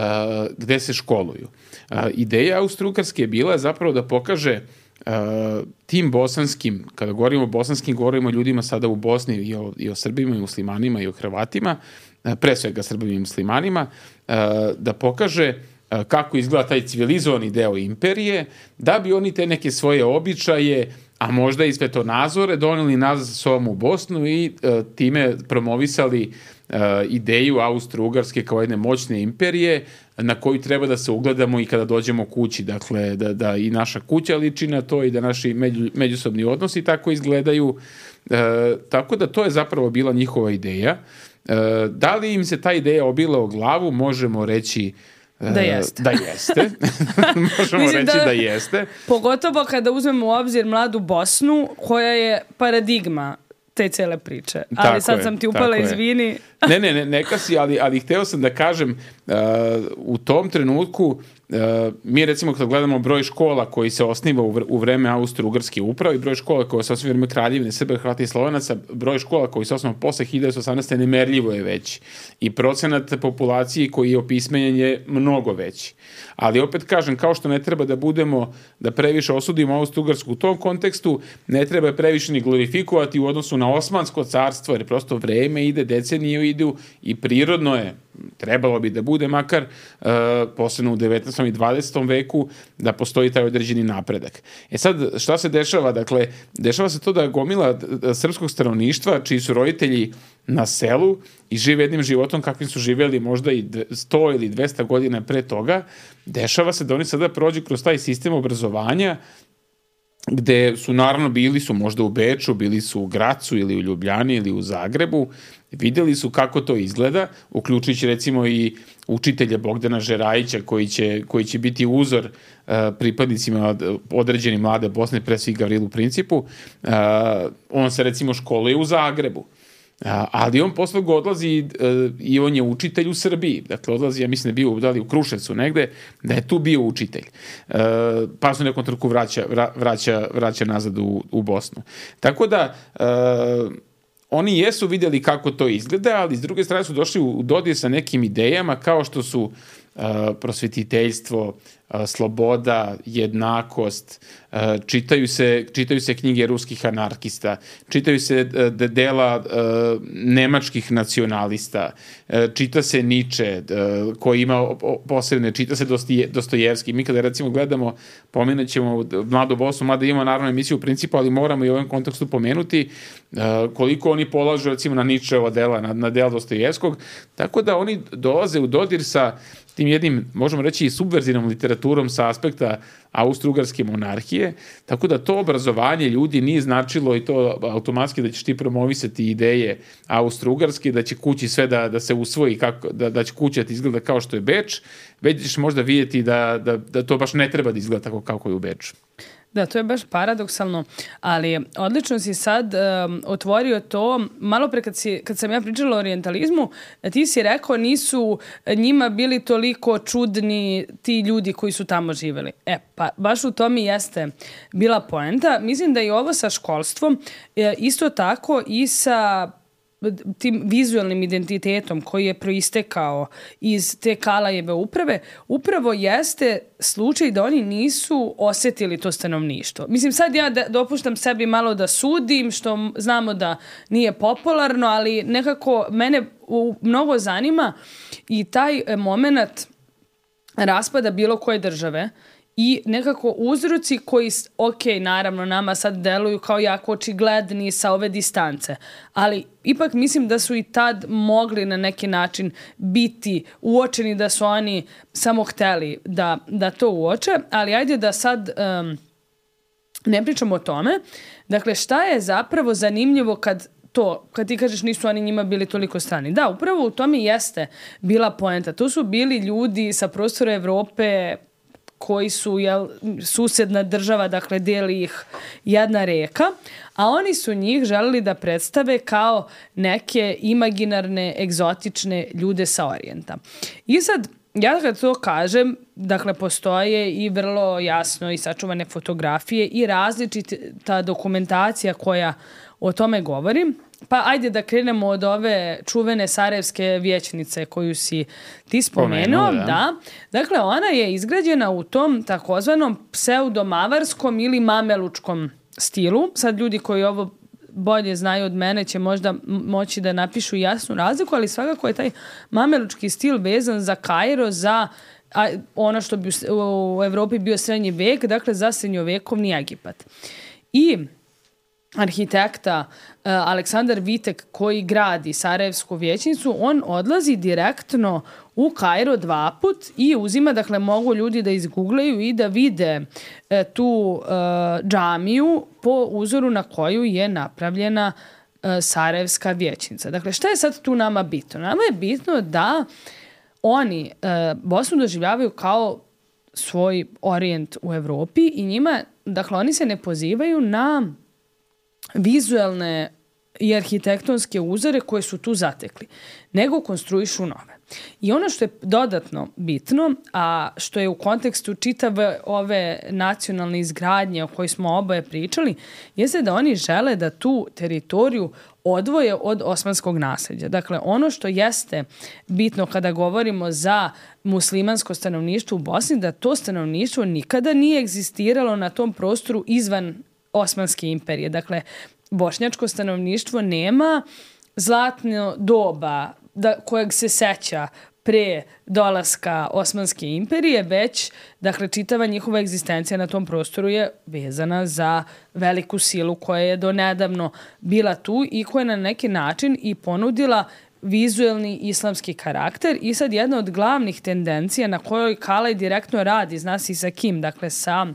gde se školuju. Uh, ideja Austro-Ugarske je bila zapravo da pokaže uh, tim bosanskim, kada govorimo o bosanskim, govorimo o ljudima sada u Bosni i o, i o Srbima i muslimanima i o Hrvatima, uh, pre svega Srbima i muslimanima, uh, da pokaže uh, kako izgleda taj civilizovani deo imperije, da bi oni te neke svoje običaje, a možda i svetonazore doneli nazad sa sobom u Bosnu i uh, time promovisali uh, ideju Austro-Ugarske kao jedne moćne imperije na koju treba da se ugledamo i kada dođemo kući. Dakle, da, da i naša kuća liči na to i da naši među, međusobni odnosi tako izgledaju. Uh, tako da to je zapravo bila njihova ideja. Uh, da li im se ta ideja obila o glavu, možemo reći Da jeste. Da jeste. Možemo reći da, da jeste. Pogotovo kada uzmemo u obzir mladu Bosnu, koja je paradigma te cele priče. Ali tako sad je, sam ti upala, izvini. Ne, ne, ne, neka si, ali, ali hteo sam da kažem, uh, u tom trenutku, uh, mi recimo kada gledamo broj škola koji se osniva u, vr u vreme Austro-Ugarske uprave i broj škola koji se osniva u vreme Kraljevine Srba, Hrvata i Slovenaca, broj škola koji se osniva posle hiljadu devetsto osamnaeste. nemerljivo je veći. I procenat populacije koji je opismenjen je mnogo veći. Ali opet kažem, kao što ne treba da budemo, da previše osudimo Austro-Ugarsku u tom kontekstu, ne treba previše ni glorifikovati u odnosu na Osmansko carstvo, jer prosto vreme ide, decenije idu i prirodno je, trebalo bi da bude makar, uh, posebno u devetnaestom i dvadesetom veku, da postoji taj određeni napredak. E sad, šta se dešava? Dakle, dešava se to da gomila srpskog stanovništva, čiji su roditelji na selu i žive jednim životom kakvim su živjeli možda i sto ili dvesta godina pre toga, dešava se da oni sada prođu kroz taj sistem obrazovanja gde su naravno bili su možda u Beču, bili su u Gracu ili u Ljubljani ili u Zagrebu, videli su kako to izgleda, uključujući recimo i učitelja Bogdana Žerajića koji će, koji će biti uzor uh, pripadnicima određeni mlade Bosne, pre svih Gavrilu Principu. Uh, on se recimo školuje u Zagrebu. A, ali on posle ga odlazi uh, i on je učitelj u Srbiji. Dakle, odlazi, ja mislim da je bio da li u Kruševcu negde, da je tu bio učitelj. Uh, pa se u nekom trenutku vraća, vra, vraća, vraća nazad u, u Bosnu. Tako da, uh, oni jesu vidjeli kako to izgleda, ali s druge strane su došli u dodir sa nekim idejama kao što su uh, prosvetiteljstvo, uh, sloboda, jednakost, uh, čitaju se, čitaju se knjige ruskih anarkista, čitaju se uh, dela uh, nemačkih nacionalista, uh, čita se Niče, uh, koji ima posebne, čita se Dostoje, Dostojevski. Mi kada recimo gledamo, pomenut ćemo Mladu Bosnu, mada ima naravno emisiju u principu, ali moramo i u ovom kontekstu pomenuti uh, koliko oni polažu recimo na Ničeova dela, na, na dela Dostojevskog, tako da oni dolaze u dodir sa tim jednim, možemo reći, i subverzivnom literaturom sa aspekta Austro-Ugarske monarhije, tako da to obrazovanje ljudi nije značilo i to automatski da ćeš ti promovisati ideje Austro-Ugarske, da će kući sve da, da se usvoji, kako, da, da će kuća ti izgleda kao što je Beč, već ćeš možda vidjeti da, da, da to baš ne treba da izgleda tako kako je u Beču. Da, to je baš paradoksalno, ali odlično si sad um, otvorio to. Malo pre kad, si, kad sam ja pričala o orijentalizmu, ti si rekao nisu njima bili toliko čudni ti ljudi koji su tamo živjeli. E, pa baš u tome jeste bila poenta. Mislim da i ovo sa školstvom, isto tako i sa tim vizualnim identitetom koji je proistekao iz te Kalajeve uprave, upravo jeste slučaj da oni nisu osjetili to stanovništvo. Mislim, sad ja da, dopuštam sebi malo da sudim, što znamo da nije popularno, ali nekako mene u, mnogo zanima i taj moment raspada bilo koje države i nekako uzroci koji, ok, naravno, nama sad deluju kao jako očigledni sa ove distance, ali ipak mislim da su i tad mogli na neki način biti uočeni, da su oni samo hteli da, da to uoče, ali ajde da sad um, ne pričamo o tome. Dakle, šta je zapravo zanimljivo kad to, kad ti kažeš nisu oni njima bili toliko strani. Da, upravo u tome jeste bila poenta. To su bili ljudi sa prostora Evrope koji su jel, susedna država, dakle deli ih jedna reka, a oni su njih želeli da predstave kao neke imaginarne, egzotične ljude sa orijenta. I sad, ja kad to kažem, dakle, postoje i vrlo jasno i sačuvane fotografije i različita dokumentacija koja o tome govori. pa ajde da krenemo od ove čuvene sarajevske vijećnice koju si ti spomenuo. Spomenuo, da. Da. Dakle, ona je izgrađena u tom takozvanom pseudomavarskom ili mamelučkom stilu. Sad ljudi koji ovo bolje znaju od mene će možda moći da napišu jasnu razliku, ali svakako je taj mamelučki stil vezan za Kairo, za a, ono što bi u Evropi bio srednji vek, dakle za srednjovekovni Egipat. I arhitekta uh, Aleksandar Vitek koji gradi Sarajevsku vijećnicu, on odlazi direktno u Kairo dva put i uzima, dakle mogu ljudi da izgooglaju i da vide uh, tu uh, džamiju po uzoru na koju je napravljena uh, Sarajevska vijećnica. Dakle, šta je sad tu nama bitno? Nama je bitno da oni uh, Bosnu doživljavaju kao svoj orijent u Evropi i njima, dakle oni se ne pozivaju na vizuelne i arhitektonske uzore koje su tu zatekli, nego konstruišu nove. I ono što je dodatno bitno, a što je u kontekstu čitave ove nacionalne izgradnje o kojoj smo oboje pričali, jeste da oni žele da tu teritoriju odvoje od osmanskog nasljeđa. Dakle, ono što jeste bitno kada govorimo za muslimansko stanovništvo u Bosni, da to stanovništvo nikada nije egzistiralo na tom prostoru izvan Osmanske imperije. Dakle, bošnjačko stanovništvo nema zlatno doba da, kojeg se seća pre dolaska Osmanske imperije, već, dakle, čitava njihova egzistencija na tom prostoru je vezana za veliku silu koja je donedavno bila tu i koja je na neki način i ponudila vizuelni islamski karakter. I sad jedna od glavnih tendencija na kojoj Kalaj direktno radi, zna se i sa kim, dakle sa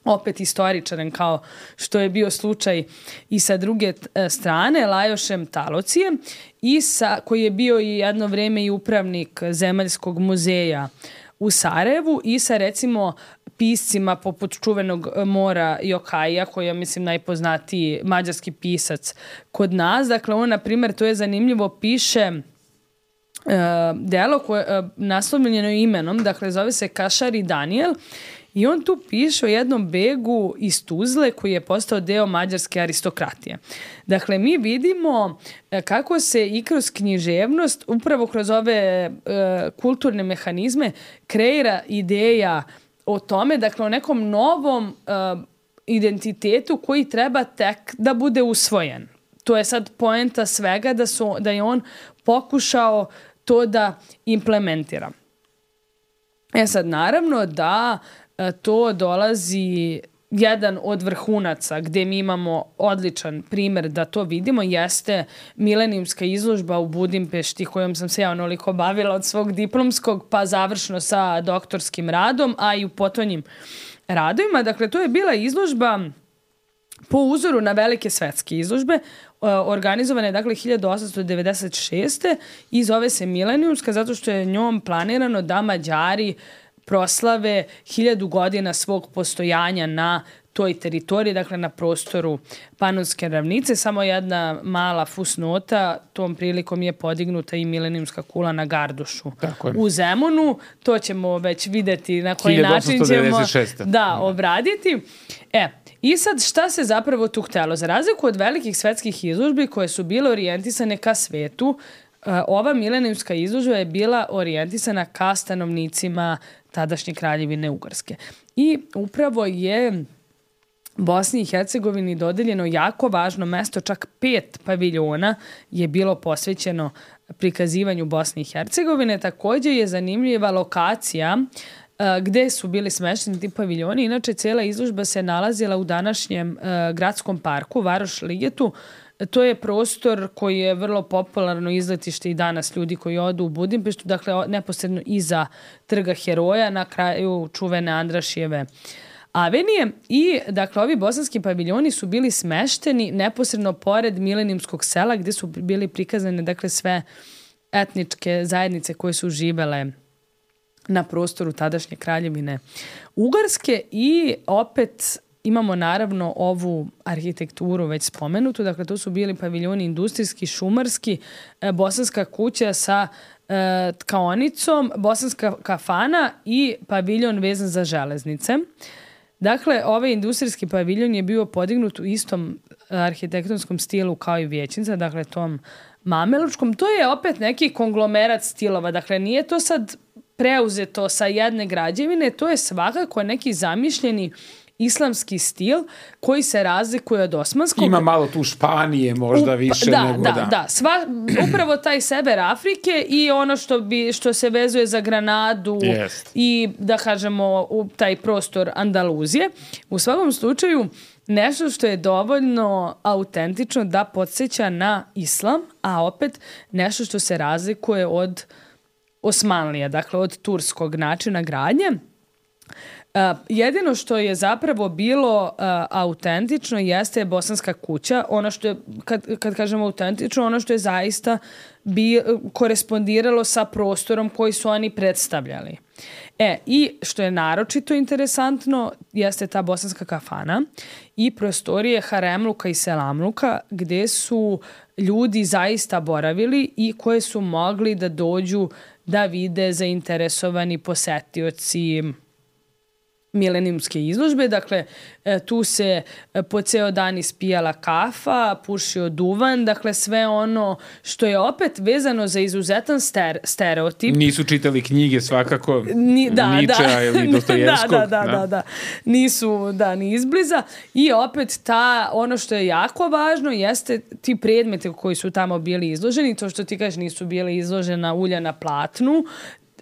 opet istoričarem kao što je bio slučaj i sa druge strane, Lajošem Talocijem, i sa, koji je bio i jedno vreme i upravnik Zemaljskog muzeja u Sarajevu, i sa recimo piscima poput čuvenog Mora Jokaija, koji je, mislim, najpoznatiji mađarski pisac kod nas. Dakle, on, na primjer, to je zanimljivo, piše uh, delo koje uh, naslovljeno imenom, dakle, zove se Kašari Daniel, i on tu piše o jednom begu iz Tuzle koji je postao deo mađarske aristokratije. Dakle, mi vidimo kako se i kroz književnost, upravo kroz ove e, kulturne mehanizme, kreira ideja o tome, dakle, o nekom novom e, identitetu koji treba tek da bude usvojen. To je sad poenta svega, da, su, da je on pokušao to da implementira. E sad, naravno da to dolazi, jedan od vrhunaca gde mi imamo odličan primer da to vidimo jeste milenijumska izložba u Budimpešti, kojom sam se ja onoliko bavila od svog diplomskog pa završno sa doktorskim radom, a i u potonjim radovima. Dakle, to je bila izložba po uzoru na velike svetske izložbe, organizovane, dakle, hiljadu osamsto devedeset šeste i zove se milenijumska zato što je njom planirano da Mađari proslave hiljadu godina svog postojanja na toj teritoriji, dakle na prostoru Panonske ravnice. Samo jedna mala fusnota, tom prilikom je podignuta i milenijumska kula na Gardušu u Zemunu. To ćemo već videti na koji način ćemo da obraditi. E, i sad šta se zapravo tu htelo? Za razliku od velikih svetskih izložbi koje su bile orijentisane ka svetu, ova milenijumska izložba je bila orijentisana ka stanovnicima tadašnje kraljevine Ugarske. I upravo je Bosni i Hercegovini dodeljeno jako važno mesto, čak pet paviljona je bilo posvećeno prikazivanju Bosne i Hercegovine. Također je zanimljiva lokacija gde su bili smešteni ti paviljoni. Inače, cijela izložba se nalazila u današnjem gradskom parku, Varoš Ligetu. To je prostor koji je vrlo popularno izletište i danas ljudi koji odu u Budimpeštu, dakle neposredno iza Trga Heroja, na kraju čuvene Andrašijeve avenije. I, dakle, ovi bosanski paviljoni su bili smešteni neposredno pored milenijumskog sela gdje su bili prikazane, dakle, sve etničke zajednice koje su živele na prostoru tadašnje kraljevine Ugarske. I opet imamo naravno ovu arhitekturu već spomenutu, dakle to su bili paviljoni industrijski, šumarski, e, bosanska kuća sa e, tkaonicom, bosanska kafana i paviljon vezan za železnice. Dakle, ovaj industrijski paviljon je bio podignut u istom arhitektonskom stilu kao i vijećnica, dakle tom mamelučkom. To je opet neki konglomerat stilova, dakle nije to sad preuzeto sa jedne građevine, to je svakako neki zamišljeni islamski stil koji se razlikuje od osmanskog. Ima malo tu Španije možda više da, nego da. Da, da. Sva, upravo taj sever Afrike i ono što, bi, što se vezuje za Granadu Jest. i da kažemo u taj prostor Andaluzije. U svakom slučaju nešto što je dovoljno autentično da podsjeća na islam, a opet nešto što se razlikuje od Osmanlija, dakle od turskog načina gradnje. Uh, jedino što je zapravo bilo uh, autentično jeste bosanska kuća, ono što je, kad, kad kažemo autentično, ono što je zaista bi, korespondiralo sa prostorom koji su oni predstavljali. E, i što je naročito interesantno jeste ta bosanska kafana i prostorije Haremluka i Selamluka gde su ljudi zaista boravili i koje su mogli da dođu da vide zainteresovani posetioci milenijumske izložbe. Dakle, tu se po ceo dan ispijala kafa, pušio duvan, dakle sve ono što je opet vezano za izuzetan ster, stereotip. Nisu čitali knjige svakako Ni, da, Ničea da. ili Dostojevskog. da, da, da, da, da. Nisu, da, ni izbliza. I opet ta, ono što je jako važno jeste ti predmeti koji su tamo bili izloženi, to što ti kažeš nisu bili izložena ulja na platnu,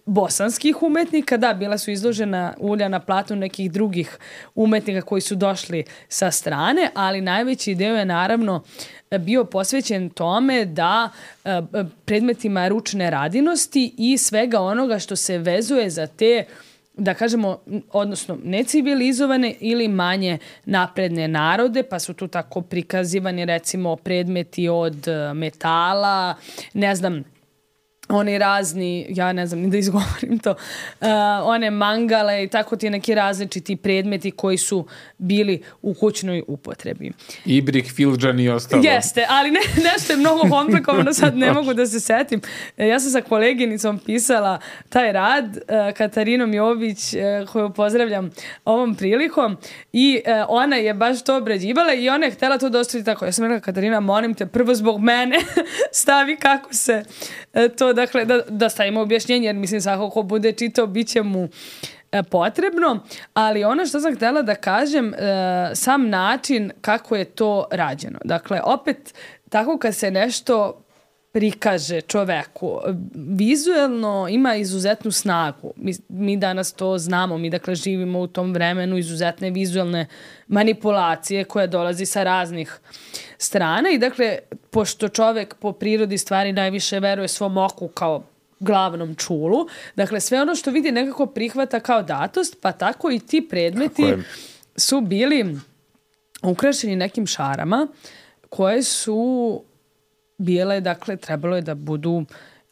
bosanskih umetnika, da, bila su izložena ulja na platnu nekih drugih umetnika koji su došli sa strane, ali najveći deo je naravno bio posvećen tome da predmetima ručne radinosti i svega onoga što se vezuje za te, da kažemo, odnosno necivilizovane ili manje napredne narode, pa su tu tako prikazivani recimo predmeti od metala, ne znam, oni razni, ja ne znam ni da izgovorim to, uh, one mangale i tako ti neki različiti predmeti koji su bili u kućnoj upotrebi. Ibrik, Filđan i ostalo. Jeste, ali ne, nešto je mnogo komplikovano, sad ne mogu da se setim. Ja sam sa koleginicom pisala taj rad, uh, Katarinom Jović, uh, koju pozdravljam ovom prilikom, i uh, ona je baš to obrađivala i ona je htjela to dostaviti tako. Ja sam rekla, Katarina, molim te, prvo zbog mene stavi kako se uh, to dakle, da, da stavimo objašnjenje, jer mislim svako ko bude čitao, bit će mu e, potrebno, ali ono što sam htjela da kažem, e, sam način kako je to rađeno. Dakle, opet, tako kad se nešto prikaže čoveku, vizuelno ima izuzetnu snagu. Mi, mi danas to znamo, mi dakle živimo u tom vremenu izuzetne vizuelne manipulacije koja dolazi sa raznih strana i dakle, pošto čovek po prirodi stvari najviše veruje svom oku kao glavnom čulu, dakle sve ono što vidi nekako prihvata kao datost, pa tako i ti predmeti su bili ukrašeni nekim šarama koje su bile, dakle, trebalo je da budu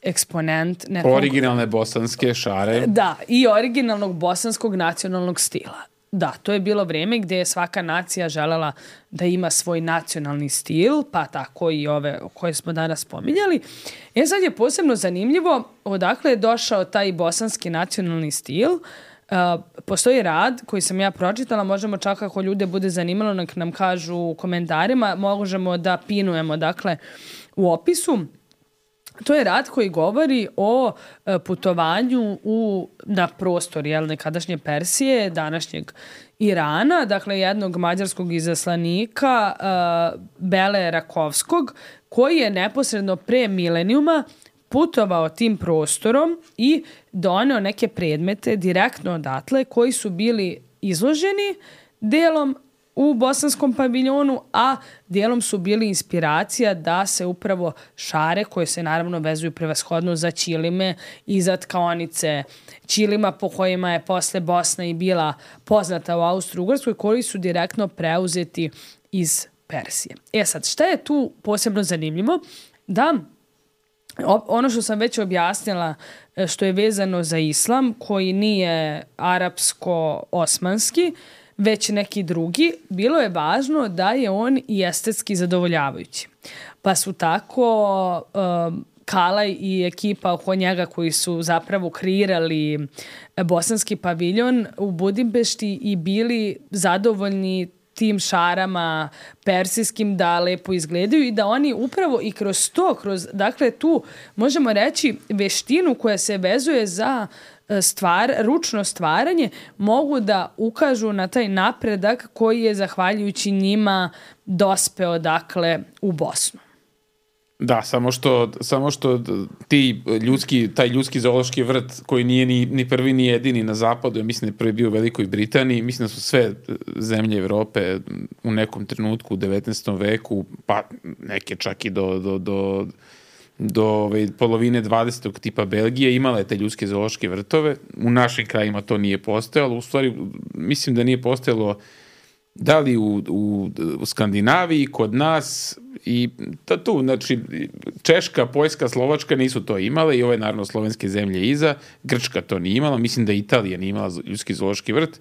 eksponent nekog... Originalne bosanske šare. Da, i originalnog bosanskog nacionalnog stila. Da, to je bilo vrijeme gdje je svaka nacija želela da ima svoj nacionalni stil, pa tako i ove koje smo danas spominjali. E sad je posebno zanimljivo odakle je došao taj bosanski nacionalni stil. Uh, postoji rad koji sam ja pročitala, možemo čak ako ljude bude zanimalo nek nam kažu u komentarima, možemo da pinujemo dakle u opisu. To je rad koji govori o e, putovanju u, na prostor jel, nekadašnje Persije, današnjeg Irana, dakle jednog mađarskog izaslanika e, Bele Rakovskog, koji je neposredno pre milenijuma putovao tim prostorom i doneo neke predmete direktno odatle koji su bili izloženi delom u bosanskom paviljonu, a dijelom su bili inspiracija da se upravo šare, koje se naravno vezuju prevashodno za ćilime i za tkaonice ćilima po kojima je posle Bosna i bila poznata u Austro-Ugarskoj, koji su direktno preuzeti iz Persije. E sad, šta je tu posebno zanimljivo? Da ono što sam već objasnila što je vezano za islam, koji nije arapsko-osmanski, već neki drugi, bilo je važno da je on i estetski zadovoljavajući. Pa su tako um, Kalaj i ekipa oko njega koji su zapravo kreirali bosanski paviljon u Budimpešti i bili zadovoljni tim šarama persijskim da lepo izgledaju i da oni upravo i kroz to, kroz, dakle tu možemo reći veštinu koja se vezuje za stvar, ručno stvaranje, mogu da ukažu na taj napredak koji je zahvaljujući njima dospeo dakle u Bosnu. Da, samo što, samo što ti ljudski, taj ljudski zoološki vrt koji nije ni, ni prvi ni jedini na zapadu, ja mislim da je prvi bio u Velikoj Britaniji, mislim da su sve zemlje Evrope u nekom trenutku u devetnaestom veku, pa neke čak i do, do, do, do ove, polovine dvadesetog tipa Belgije imale te ljudske zoološke vrtove. U našim krajima to nije postojalo, u stvari mislim da nije postojalo da li u, u, u Skandinaviji, kod nas i to tu, znači Češka, Poljska, Slovačka nisu to imale i ove naravno slovenske zemlje iza, Grčka to nije imala, mislim da Italija nije imala ljudski zoološki vrt,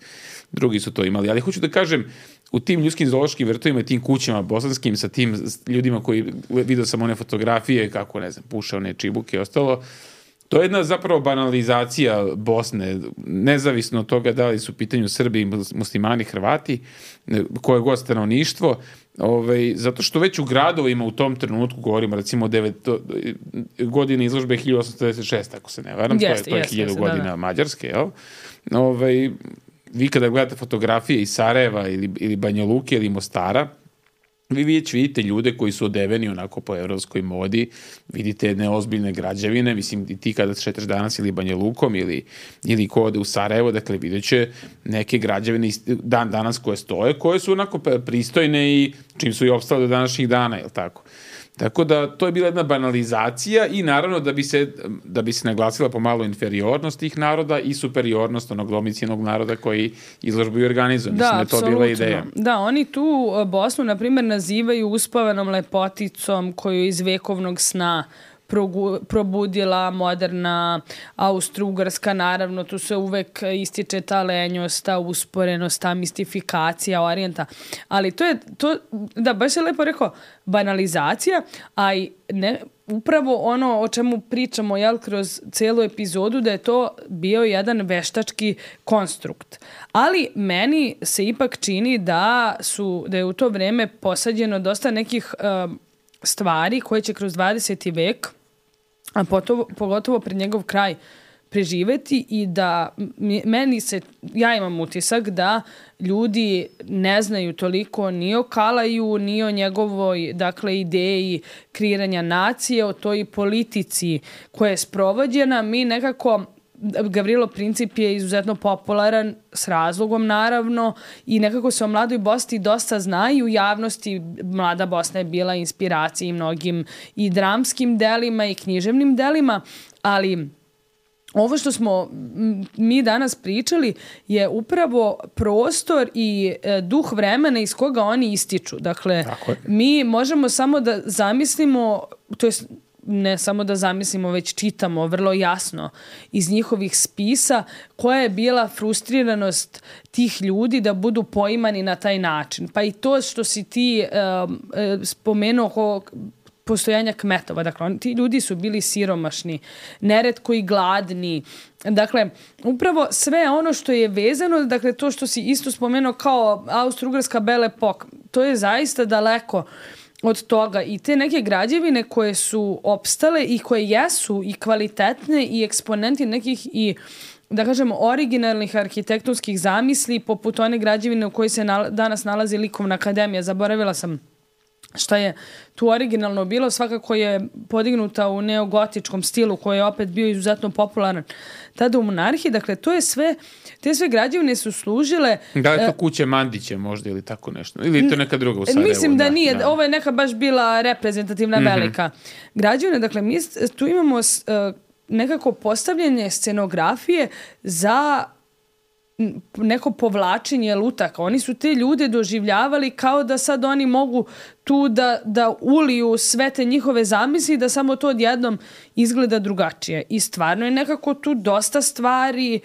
drugi su to imali, ali hoću da kažem, u tim ljudskim zoološkim vrtovima i tim kućama bosanskim sa tim ljudima koji, vidio sam one fotografije kako, ne znam, puše one čibuke i ostalo, to je jedna zapravo banalizacija Bosne, nezavisno od toga da li su u pitanju Srbi, muslimani, Hrvati, koje god stanovništvo, ovaj, zato što već u gradovima u tom trenutku, govorimo recimo devet godine izložbe hiljadu osamsto devedeset šeste, ako se ne varam, yes, to je, yes, hiljadu yes, godina da, da. Mađarske, jel? Ovaj, vi kada gledate fotografije iz Sarajeva ili, ili Banja Luke ili Mostara, vi već vidite ljude koji su odeveni onako po evropskoj modi, vidite neozbiljne građevine, mislim i ti kada šetaš danas ili Banja Lukom ili, ili ko ode u Sarajevo, dakle vidjet će neke građevine dan danas koje stoje, koje su onako pristojne i čim su i opstale do današnjih dana, jel tako? Tako da to je bila jedna banalizacija i naravno da bi se, da bi se naglasila pomalo inferiornost tih naroda i superiornost onog domicijalnog naroda koji izložbu i organizuje. Mislim da je to bila ideja. Da, oni tu Bosnu, na primjer, nazivaju uspavanom lepoticom koju iz vekovnog sna probudila moderna Austro-Ugarska, naravno tu se uvek ističe ta lenjost, ta usporenost, ta mistifikacija orijenta, ali to je, to, da, baš je lepo rekao, banalizacija, a i ne, upravo ono o čemu pričamo, jel, kroz celu epizodu, da je to bio jedan veštački konstrukt. Ali meni se ipak čini da su, da je u to vreme posađeno dosta nekih um, stvari koje će kroz dvadeseti vek, a pogotovo, pogotovo pred njegov kraj, preživeti i da meni se, ja imam utisak da ljudi ne znaju toliko ni o Kalaju, ni o njegovoj, dakle, ideji kreiranja nacije, o toj politici koja je sprovođena. Mi nekako, Gavrilo Princip je izuzetno popularan, s razlogom naravno, i nekako se o mladoj Bosni dosta zna i u javnosti. Mlada Bosna je bila inspiracija i mnogim i dramskim delima i književnim delima, ali ovo što smo mi danas pričali je upravo prostor i duh vremena iz koga oni ističu. Dakle, mi možemo samo da zamislimo, to jest ne samo da zamislimo, već čitamo vrlo jasno iz njihovih spisa koja je bila frustriranost tih ljudi da budu poimani na taj način. Pa i to što si ti um, spomenuo oko postojanja kmetova. Dakle, oni, ti ljudi su bili siromašni, neretko i gladni. Dakle, upravo sve ono što je vezano, dakle, to što si isto spomenuo kao Austro-Ugarska Belle Époque, to je zaista daleko od toga i te neke građevine koje su opstale i koje jesu i kvalitetne i eksponenti nekih i, da kažemo, originalnih arhitektonskih zamisli, poput one građevine u kojoj se nal- danas nalazi Likovna akademija. Zaboravila sam šta je tu originalno bilo, svakako je podignuta u neogotičkom stilu koji je opet bio izuzetno popularan tada u monarhiji. Dakle, to je sve, te sve građevine su služile... Da li je to kuće Mandiće možda ili tako nešto? Ili je to neka druga u Sarajevu? Mislim da, da nije. Da. Ovo je neka baš bila reprezentativna mm-hmm. velika građevina. Dakle, mi tu imamo uh, nekako postavljanje scenografije za neko povlačenje lutaka. Oni su te ljude doživljavali kao da sad oni mogu tu da, da uliju sve te njihove zamisli, da samo to odjednom izgleda drugačije. I stvarno je nekako tu dosta stvari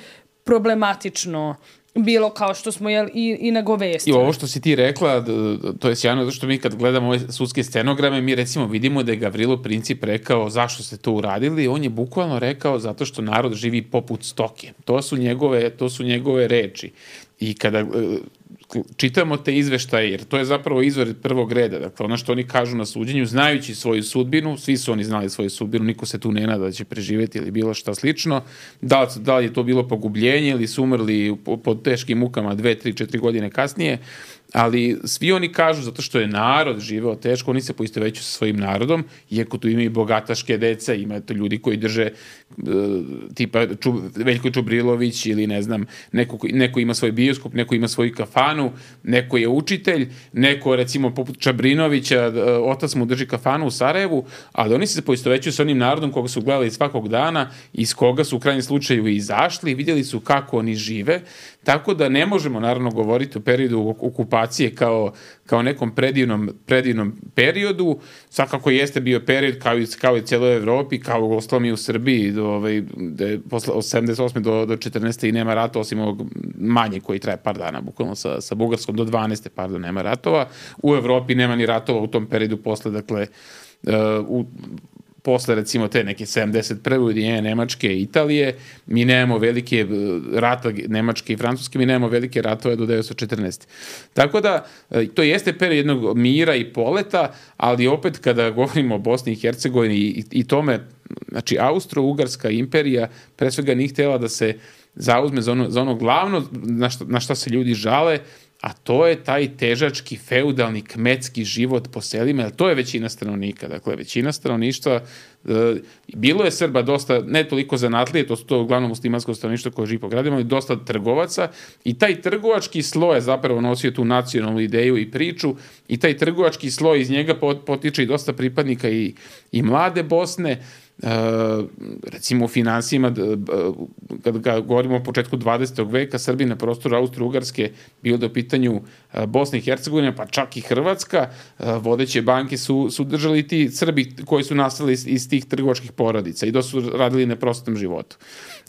problematično bilo kao što smo jel, i, i nagovestili. I ovo što si ti rekla, to je sjajno, zato što mi kad gledamo ove sudske stenograme, mi recimo vidimo da je Gavrilo Princip rekao zašto ste to uradili, on je bukvalno rekao zato što narod živi poput stoke. To su njegove, to su njegove reči. I kada čitamo te izveštaje, jer to je zapravo izvor prvog reda, dakle ono što oni kažu na suđenju, znajući svoju sudbinu, svi su oni znali svoju sudbinu, niko se tu ne nada da će preživjeti ili bilo šta slično, da li, da li je to bilo pogubljenje ili su umrli pod teškim mukama dve, tri, četiri godine kasnije, ali svi oni kažu zato što je narod živeo teško, oni se poistovećuju sa svojim narodom, iako tu ima i bogataške deca, ima to ljudi koji drže tipa Čub, Veljko Čubrilović ili ne znam, neko, neko ima svoj bioskop, neko ima svoju kafanu, neko je učitelj, neko recimo poput Čabrinovića, otac mu drži kafanu u Sarajevu, ali oni se poistovećuju sa onim narodom koga su gledali svakog dana, iz koga su u krajnjem slučaju izašli, vidjeli su kako oni žive, tako da ne možemo naravno govoriti o periodu okupacije kao, kao nekom predivnom, predivnom periodu. Svakako jeste bio period kao i, kao i cijeloj Evropi, kao u ostalom i u Srbiji, do, ovaj, de, posle, od sedamdeset osme do, do četrnaeste i nema rata, osim ovog manje koji traje par dana, bukvalno sa, sa Bugarskom do dvanaeste, pardon, nema ratova. U Evropi nema ni ratova u tom periodu posle, dakle, uh, u posle recimo te neke sedamdeset prve ujedinjenje Nemačke i Italije, mi nemamo velike rata Nemačke i Francuske, mi nemamo velike ratove do devetsto četrnaeste. Tako da, to jeste period jednog mira i poleta, ali opet kada govorimo o Bosni i Hercegovini i, i tome, znači Austro-Ugarska imperija pre svega nije htjela da se zauzme za ono, za ono glavno na šta, na šta se ljudi žale, a to je taj težački, feudalni, kmetski život po selima, jer to je većina stanovnika. Dakle, većina stanovništva, e, bilo je Srba dosta, ne toliko zanatlije, to su to uglavnom muslimansko stanovništvo koje živi po gradima, ali dosta trgovaca i taj trgovački sloj je zapravo nosio tu nacionalnu ideju i priču i taj trgovački sloj, iz njega potiče i dosta pripadnika i, i mlade Bosne. Uh, recimo u finansijima, kada govorimo o početku dvadesetog veka, Srbi na prostoru Austro-Ugarske bilo da u pitanju uh, Bosne i Hercegovine, pa čak i Hrvatska, uh, vodeće banke su, su držali ti Srbi koji su nastali iz, iz tih trgovačkih porodica i dosta su radili na prostom životu.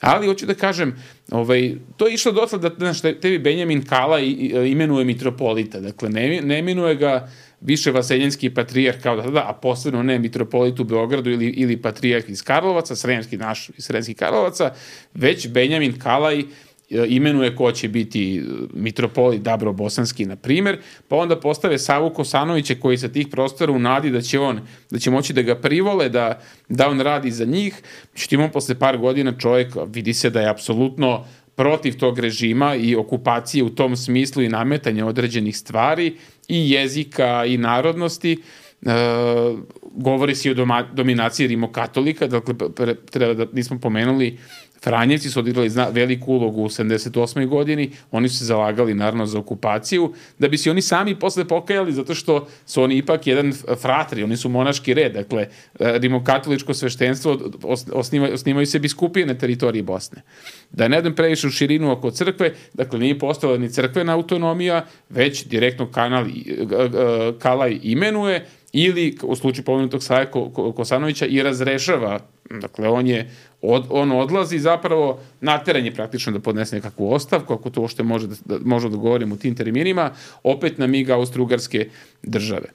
Ali hoću da kažem, ovaj, to je išlo dotle da, znaš, tebi Benjamin Kala i, i, imenuje mitropolita, dakle ne, ne imenuje ga više vaseljenski patrijarh kao da, da, a posebno ne mitropolit u Beogradu ili, ili patrijarh iz Karlovaca, sremski naš iz Sremskih Karlovaca, već Benjamin Kalaj imenuje ko će biti mitropolit Dabro-Bosanski, na primjer, pa onda postave Savu Kosanovića koji sa tih prostora u nadi da će on, da će moći da ga privole, da, da on radi za njih. Međutim, on posle par godina čovjek vidi se da je apsolutno protiv tog režima i okupacije u tom smislu i nametanja određenih stvari i jezika i narodnosti. E, govori se i o doma, dominaciji rimokatolika, dakle treba da nismo pomenuli, Franjevci su odigrali zna, veliku ulogu u sedamdeset osmoj godini, oni su se zalagali naravno za okupaciju, da bi se oni sami posle pokajali, zato što su oni ipak jedan fratri, oni su monaški red, dakle rimokatoličko sveštenstvo osniva, osnivaju se biskupije na teritoriji Bosne. Da ne idem previše u širinu oko crkve, dakle nije postojala ni crkvena autonomija, već direktno kanal, Kalaj imenuje ili u slučaju pomenutog Saje Kosanovića i razrešava, dakle on je od, on odlazi zapravo nateranje praktično da podnese nekakvu ostavku, ako to uopšte može da, da, može da govorimo u tim terminima, opet na mig Austro-Ugarske države.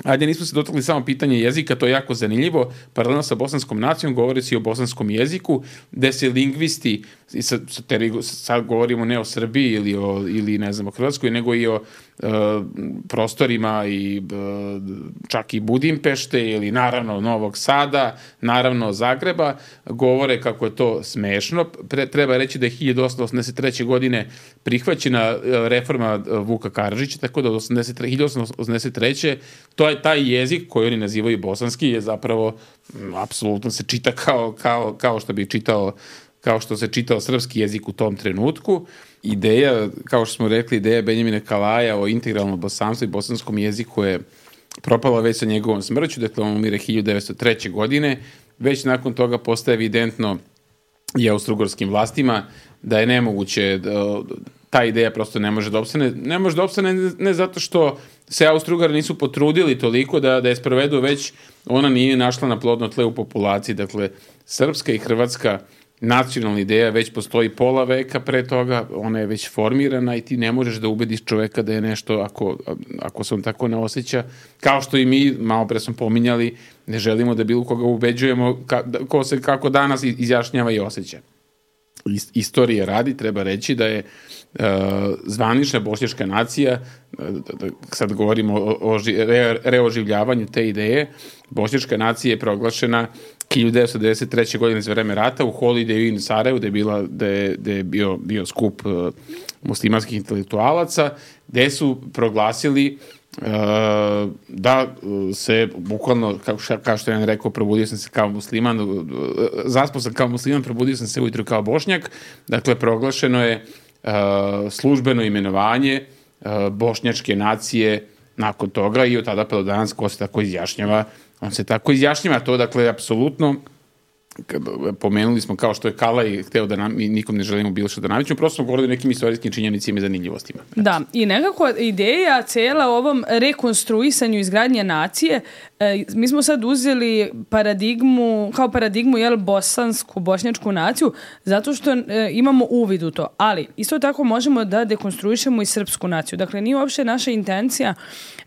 Ajde, nismo se dotakli samo pitanje jezika, to je jako zanimljivo. Paralelno sa bosanskom nacijom govori se i o bosanskom jeziku, gde se lingvisti, sa, sa teri, sad govorimo ne o Srbiji ili, o, ili ne znam o Hrvatskoj, nego i o e, prostorima i e, čak i Budimpešte ili naravno Novog Sada, naravno Zagreba, govore kako je to smešno. Pre, treba reći da je hiljadu osamsto osamdeset treće. godine prihvaćena reforma Vuka Karadžića, tako da od hiljadu osamsto osamdeset treće. to je taj jezik koji oni nazivaju bosanski je zapravo m, apsolutno se čita kao, kao, kao što bi čitao kao što se čitao srpski jezik u tom trenutku. Ideja, kao što smo rekli, ideja Benjamina Kalaja o integralnom bosanstvu i bosanskom jeziku je propala već sa njegovom smrću, dakle on umire hiljadu devetsto treće. godine, već nakon toga postaje evidentno i austrougarskim vlastima da je nemoguće, da, ta ideja prosto ne može da opstane, ne može da opstane ne zato što se Austro-Ugari nisu potrudili toliko da, da je sprovedu, već ona nije našla na plodno tle u populaciji, dakle srpska i hrvatska nacionalna ideja već postoji pola veka pre toga, ona je već formirana i ti ne možeš da ubediš čoveka da je nešto, ako, ako se on tako ne osjeća, kao što i mi, malo pre smo pominjali, ne želimo da bilo koga ubeđujemo ka, ko se kako danas izjašnjava i osjeća. Istorije radi, treba reći da je uh, zvanična bošnjačka nacija, uh, da, sad govorimo o, o re, reoživljavanju te ideje, bošnjačka nacija je proglašena hiljadu devetsto devedeset treće. godine za vreme rata u Holiday Inn Sarajevu, gde je, bila, gde, gde je bio, bio skup uh, muslimanskih intelektualaca, gde su proglasili Uh, da se bukvalno, kao, kao što je on rekao, probudio sam se kao musliman, uh, zaspao sam kao musliman, probudio sam se ujutru kao bošnjak. Dakle, proglašeno je uh, službeno imenovanje uh, bošnjačke nacije nakon toga i od tada pa do danas ko se tako izjašnjava, on se tako izjašnjava. To, dakle, apsolutno, pomenuli smo kao što je Kalaj hteo da nam, mi nikom ne želimo bilo što da navićemo, prosto smo govorili o nekim istorijskim činjenicima i zanimljivostima. Da, i nekako ideja cela ovom rekonstruisanju izgradnje nacije, e, mi smo sad uzeli paradigmu, kao paradigmu, jel, bosansku, bošnjačku naciju, zato što e, imamo uvid u to, ali isto tako možemo da dekonstruišemo i srpsku naciju. Dakle, nije uopšte naša intencija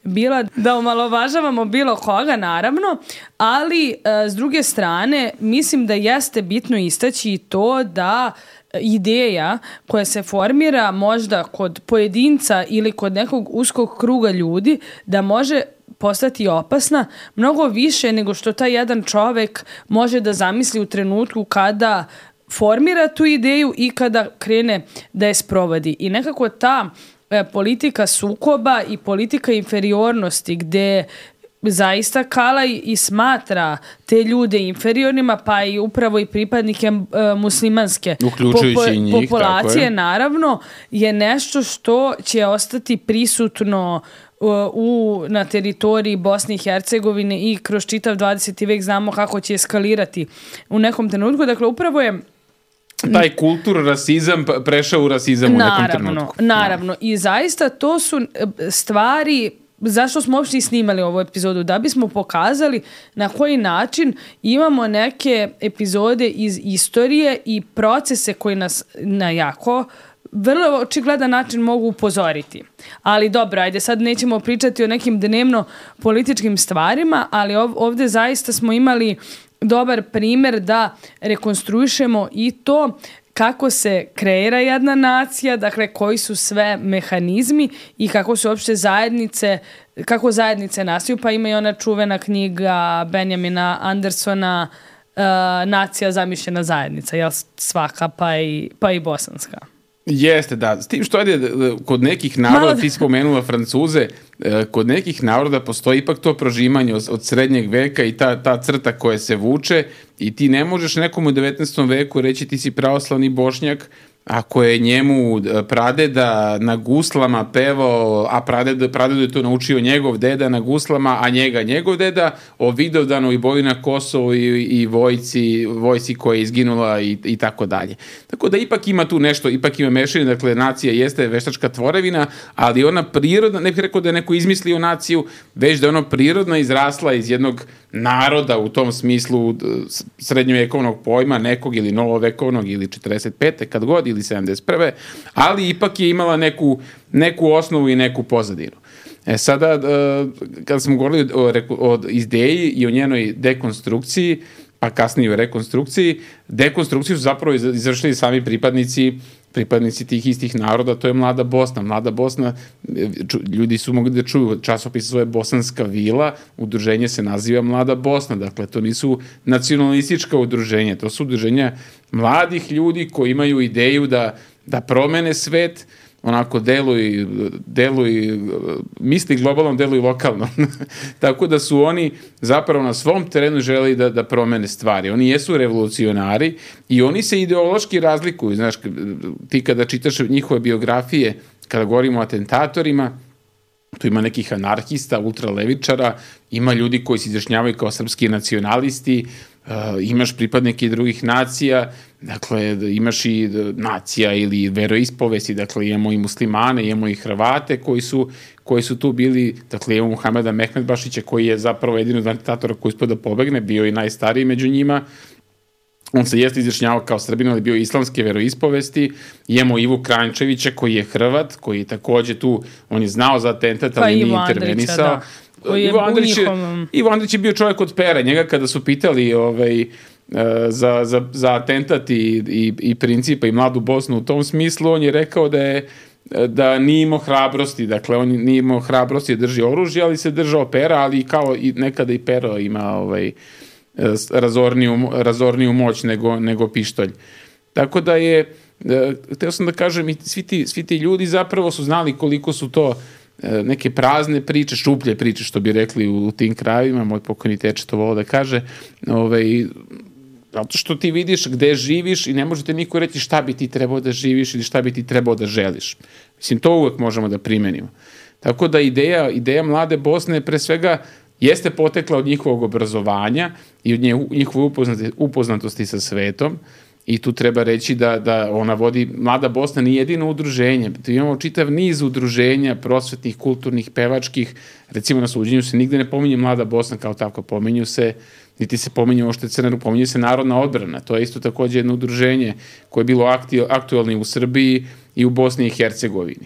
bila da omalovažavamo bilo koga, naravno, ali e, s druge strane, mislim da jeste bitno istaći to da ideja koja se formira možda kod pojedinca ili kod nekog uskog kruga ljudi, da može postati opasna mnogo više nego što taj jedan čovek može da zamisli u trenutku kada formira tu ideju i kada krene da je sprovodi. I nekako ta e, politika sukoba i politika inferiornosti, gde zaista Kalaj i smatra te ljude inferiornima, pa i upravo i pripadnike e, muslimanske popo- njih, populacije, je. naravno, je nešto što će ostati prisutno u, na teritoriji Bosne i Hercegovine i kroz čitav dvadeseti vek znamo kako će eskalirati u nekom trenutku. Dakle, upravo je taj kultur, rasizam prešao u rasizam naravno, u nekom trenutku. Naravno. I zaista to su stvari. Zašto smo uopšte i snimali ovu epizodu? Da bismo pokazali na koji način imamo neke epizode iz istorije i procese koji nas na jako vrlo očigledan način mogu upozoriti. Ali dobro, ajde, sad nećemo pričati o nekim dnevno političkim stvarima, ali ovde zaista smo imali dobar primer da rekonstruišemo i to kako se kreira jedna nacija, dakle koji su sve mehanizmi i kako su uopšte zajednice, kako zajednice nastaju, pa ima i ona čuvena knjiga Benjamina Andersona uh, Nacija zamišljena zajednica, jel, svaka pa i, pa i bosanska. Jeste, da. S tim što je kod nekih naroda, Malo... ti spomenula Francuze, kod nekih naroda postoji ipak to prožimanje od, od srednjeg veka i ta, ta crta koja se vuče i ti ne možeš nekom u devetnaestom veku reći ti si pravoslavni Bošnjak ako je njemu pradeda na guslama pevao, a pradeda, pradedu je to naučio njegov deda na guslama, a njega njegov deda, o Vidovdanu i boju na Kosovu i, i vojci, vojci koja je izginula i, i tako dalje. Tako da ipak ima tu nešto, ipak ima mešanje, dakle nacija jeste veštačka tvorevina, ali ona prirodna, ne bih rekao da je neko izmislio naciju, već da je ona prirodna izrasla iz jednog naroda u tom smislu srednjovekovnog pojma, nekog ili novovekovnog ili četrdeset pete kad god, ili sedamdeset prve ali ipak je imala neku, neku osnovu i neku pozadinu. E sada, kada smo govorili o, o ideji i o njenoj dekonstrukciju, pa kasnije o rekonstrukciji, dekonstrukciju su zapravo izvršili sami pripadnici pripadnici tih istih naroda, to je Mlada Bosna. Mlada Bosna, ljudi su mogli da čuju, časopis zove Bosanska vila, udruženje se naziva Mlada Bosna, dakle to nisu nacionalistička udruženja, to su udruženja mladih ljudi koji imaju ideju da, da promene svet, onako deluj, deluj, misli globalno, deluj lokalno. Tako da su oni zapravo na svom terenu želi da, da promene stvari. Oni jesu revolucionari i oni se ideološki razlikuju. Znaš, ti kada čitaš njihove biografije, kada govorimo o atentatorima, tu ima nekih anarhista, ultralevičara, ima ljudi koji se izjašnjavaju kao srpski nacionalisti, uh, imaš pripadnike i drugih nacija, dakle imaš i nacija ili veroispovesti, dakle imamo i muslimane, imamo i Hrvate koji su, koji su tu bili, dakle imamo Muhameda Mehmedbašića koji je zapravo jedini od atentatora koji uspio da pobegne, bio i najstariji među njima, on se jeste izjašnjavao kao Srbin, ali bio islamske veroispovesti. Imamo Ivu Kranjčevića koji je Hrvat, koji je takođe tu, on je znao za atentat, ali pa nije Ivo intervenisao. Andrića, da. Ivo Andrić, je, njihovom... Ivo Andrić je bio čovjek od pera. Njega kada su pitali ovaj, za, za, za atentat i, i, i Principa i Mladu Bosnu u tom smislu, on je rekao da je da nije imao hrabrosti, dakle on nije imao hrabrosti da drži oružje, ali se držao pera, ali kao i nekada i pero ima ovaj, razorniju, razorniju moć nego, nego pištolj. Tako da je, hteo sam da kažem, i svi ti, svi ti ljudi zapravo su znali koliko su to neke prazne priče, šuplje priče, što bi rekli u, u tim krajevima, moj pokojni teče to volao da kaže, ovaj, zato što ti vidiš gde živiš i ne možete niko reći šta bi ti trebao da živiš ili šta bi ti trebao da želiš. Mislim, to uvek možemo da primenimo. Tako da ideja, ideja Mlade Bosne pre svega jeste potekla od njihovog obrazovanja i od njihove upoznatosti, upoznatosti sa svetom i tu treba reći da, da ona vodi, Mlada Bosna nije jedino udruženje, tu imamo čitav niz udruženja prosvetnih, kulturnih, pevačkih, recimo na suđenju se nigde ne pominje Mlada Bosna kao tako, pominju se niti se pominje ovo što je Crna Ruka, pominje se Narodna odbrana, to je isto takođe jedno udruženje koje je bilo aktuelno u Srbiji i u Bosni i Hercegovini.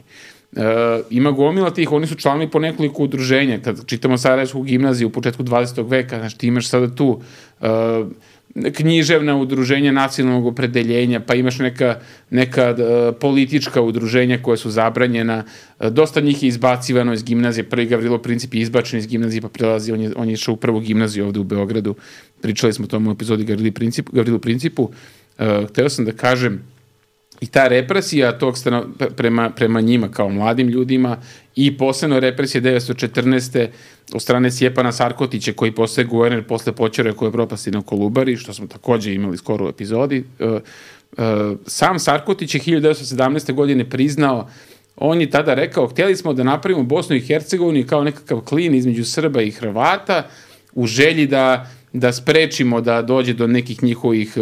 E, ima gomila tih, oni su članovi po nekoliko udruženja, kad čitamo Sarajevsku gimnaziju u početku dvadesetog veka, znači ti imaš sada tu e, književna udruženja nacionalnog opredeljenja, pa imaš neka, neka uh, politička udruženja koja su zabranjena, uh, dosta njih je izbacivano iz gimnazije, prvi Gavrilo Princip je izbačen iz gimnazije, pa prelazi, on je, on je išao u prvu gimnaziju ovde u Beogradu, pričali smo o tom u epizodi Gavrilo Principu, Gavrilo Principu. Uh, hteo sam da kažem, i ta represija tog stano, prema, prema njima kao mladim ljudima i posebno represija devetsto četrnaeste od strane Stjepana Sarkotića koji postaje guverner posle Poćore koji je propasti na Kolubari, što smo takođe imali skoro u epizodi. Uh, uh, sam Sarkotić je hiljadu devetsto sedamnaeste. godine priznao, on je tada rekao, htjeli smo da napravimo Bosnu i Hercegovinu kao nekakav klin između Srba i Hrvata u želji da da sprečimo da dođe do nekih njihovih,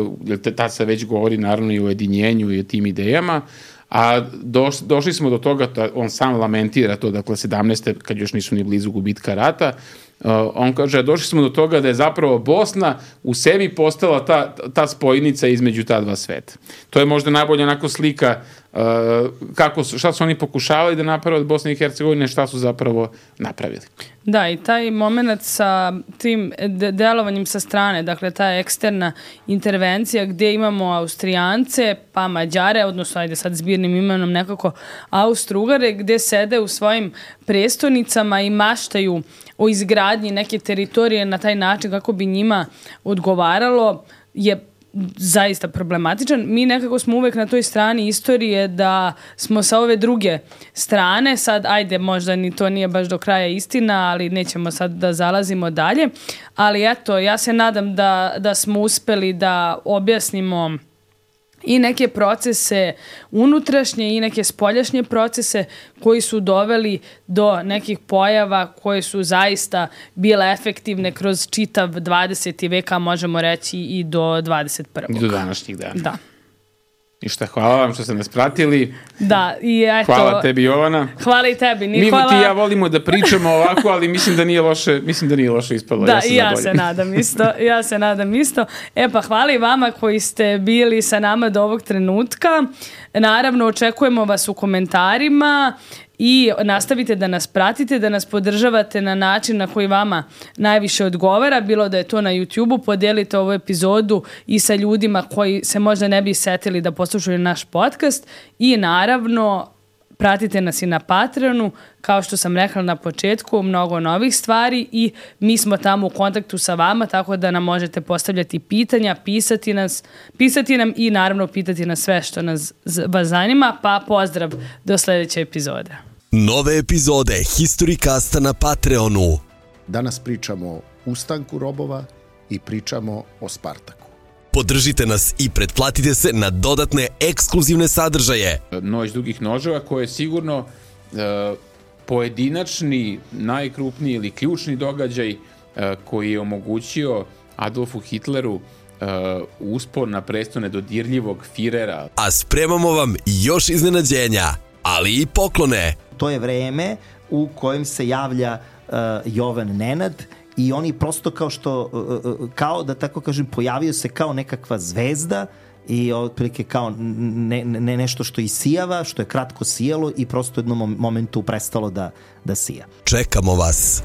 tad se već govori naravno i o ujedinjenju i o tim idejama, a doš, došli smo do toga, on sam lamentira to, dakle sedamnaeste. kad još nisu ni blizu gubitka rata, uh, on kaže, došli smo do toga da je zapravo Bosna u sebi postala ta, ta spojnica između ta dva sveta. To je možda najbolja onako slika uh, kako su, šta su oni pokušavali da naprave od Bosne i Hercegovine, šta su zapravo napravili. Da, i taj moment sa tim de- delovanjem sa strane, dakle ta eksterna intervencija gdje imamo Austrijance, pa Mađare, odnosno ajde sad zbirnim imenom nekako Austro-Ugare, gdje sede u svojim prestonicama i maštaju o izgradnji neke teritorije na taj način kako bi njima odgovaralo, je zaista problematičan. Mi nekako smo uvek na toj strani istorije da smo sa ove druge strane, sad ajde možda ni to nije baš do kraja istina, ali nećemo sad da zalazimo dalje, ali eto, ja se nadam da, da smo uspeli da objasnimo i neke procese unutrašnje i neke spoljašnje procese koji su doveli do nekih pojava koje su zaista bile efektivne kroz čitav dvadeseti vek, a možemo reći i do dvadeset prvog. I do današnjih dana. Da. I šta, hvala vam što ste nas pratili. Da, i eto... Hvala tebi, Jovana. Hvala i tebi. Ni Mi hvala... ti i ja volimo da pričamo ovako, ali mislim da nije loše, mislim da nije loše ispalo. Da, ja i ja se nadam isto. Ja se nadam isto. E pa hvala i vama koji ste bili sa nama do ovog trenutka. Naravno, očekujemo vas u komentarima i nastavite da nas pratite, da nas podržavate na način na koji vama najviše odgovara, bilo da je to na YouTube-u, podijelite ovu epizodu i sa ljudima koji se možda ne bi setili da poslušaju naš podcast i naravno pratite nas i na Patreonu, kao što sam rekla na početku, mnogo novih stvari i mi smo tamo u kontaktu sa vama, tako da nam možete postavljati pitanja, pisati, nas, pisati nam i naravno pitati nas sve što nas vas zanima, pa pozdrav do sljedeće epizode. Nove epizode Historicasta na Patreonu. Danas pričamo o ustanku robova i pričamo o Spartaku. Podržite nas i pretplatite se na dodatne ekskluzivne sadržaje. Noć dugih noževa koje je sigurno uh, pojedinačni, najkrupniji ili ključni događaj uh, koji je omogućio Adolfu Hitleru uh, uspon na presto nedodirljivog Firera. A spremamo vam još iznenađenja, ali i poklone. To je vreme u kojem se javlja uh, Jovan Nenad i oni prosto kao što, kao da tako kažem, pojavio se kao nekakva zvezda i otprilike kao ne, ne, nešto što isijava, što je kratko sijalo i prosto u jednom momentu prestalo da, da sija. Čekamo vas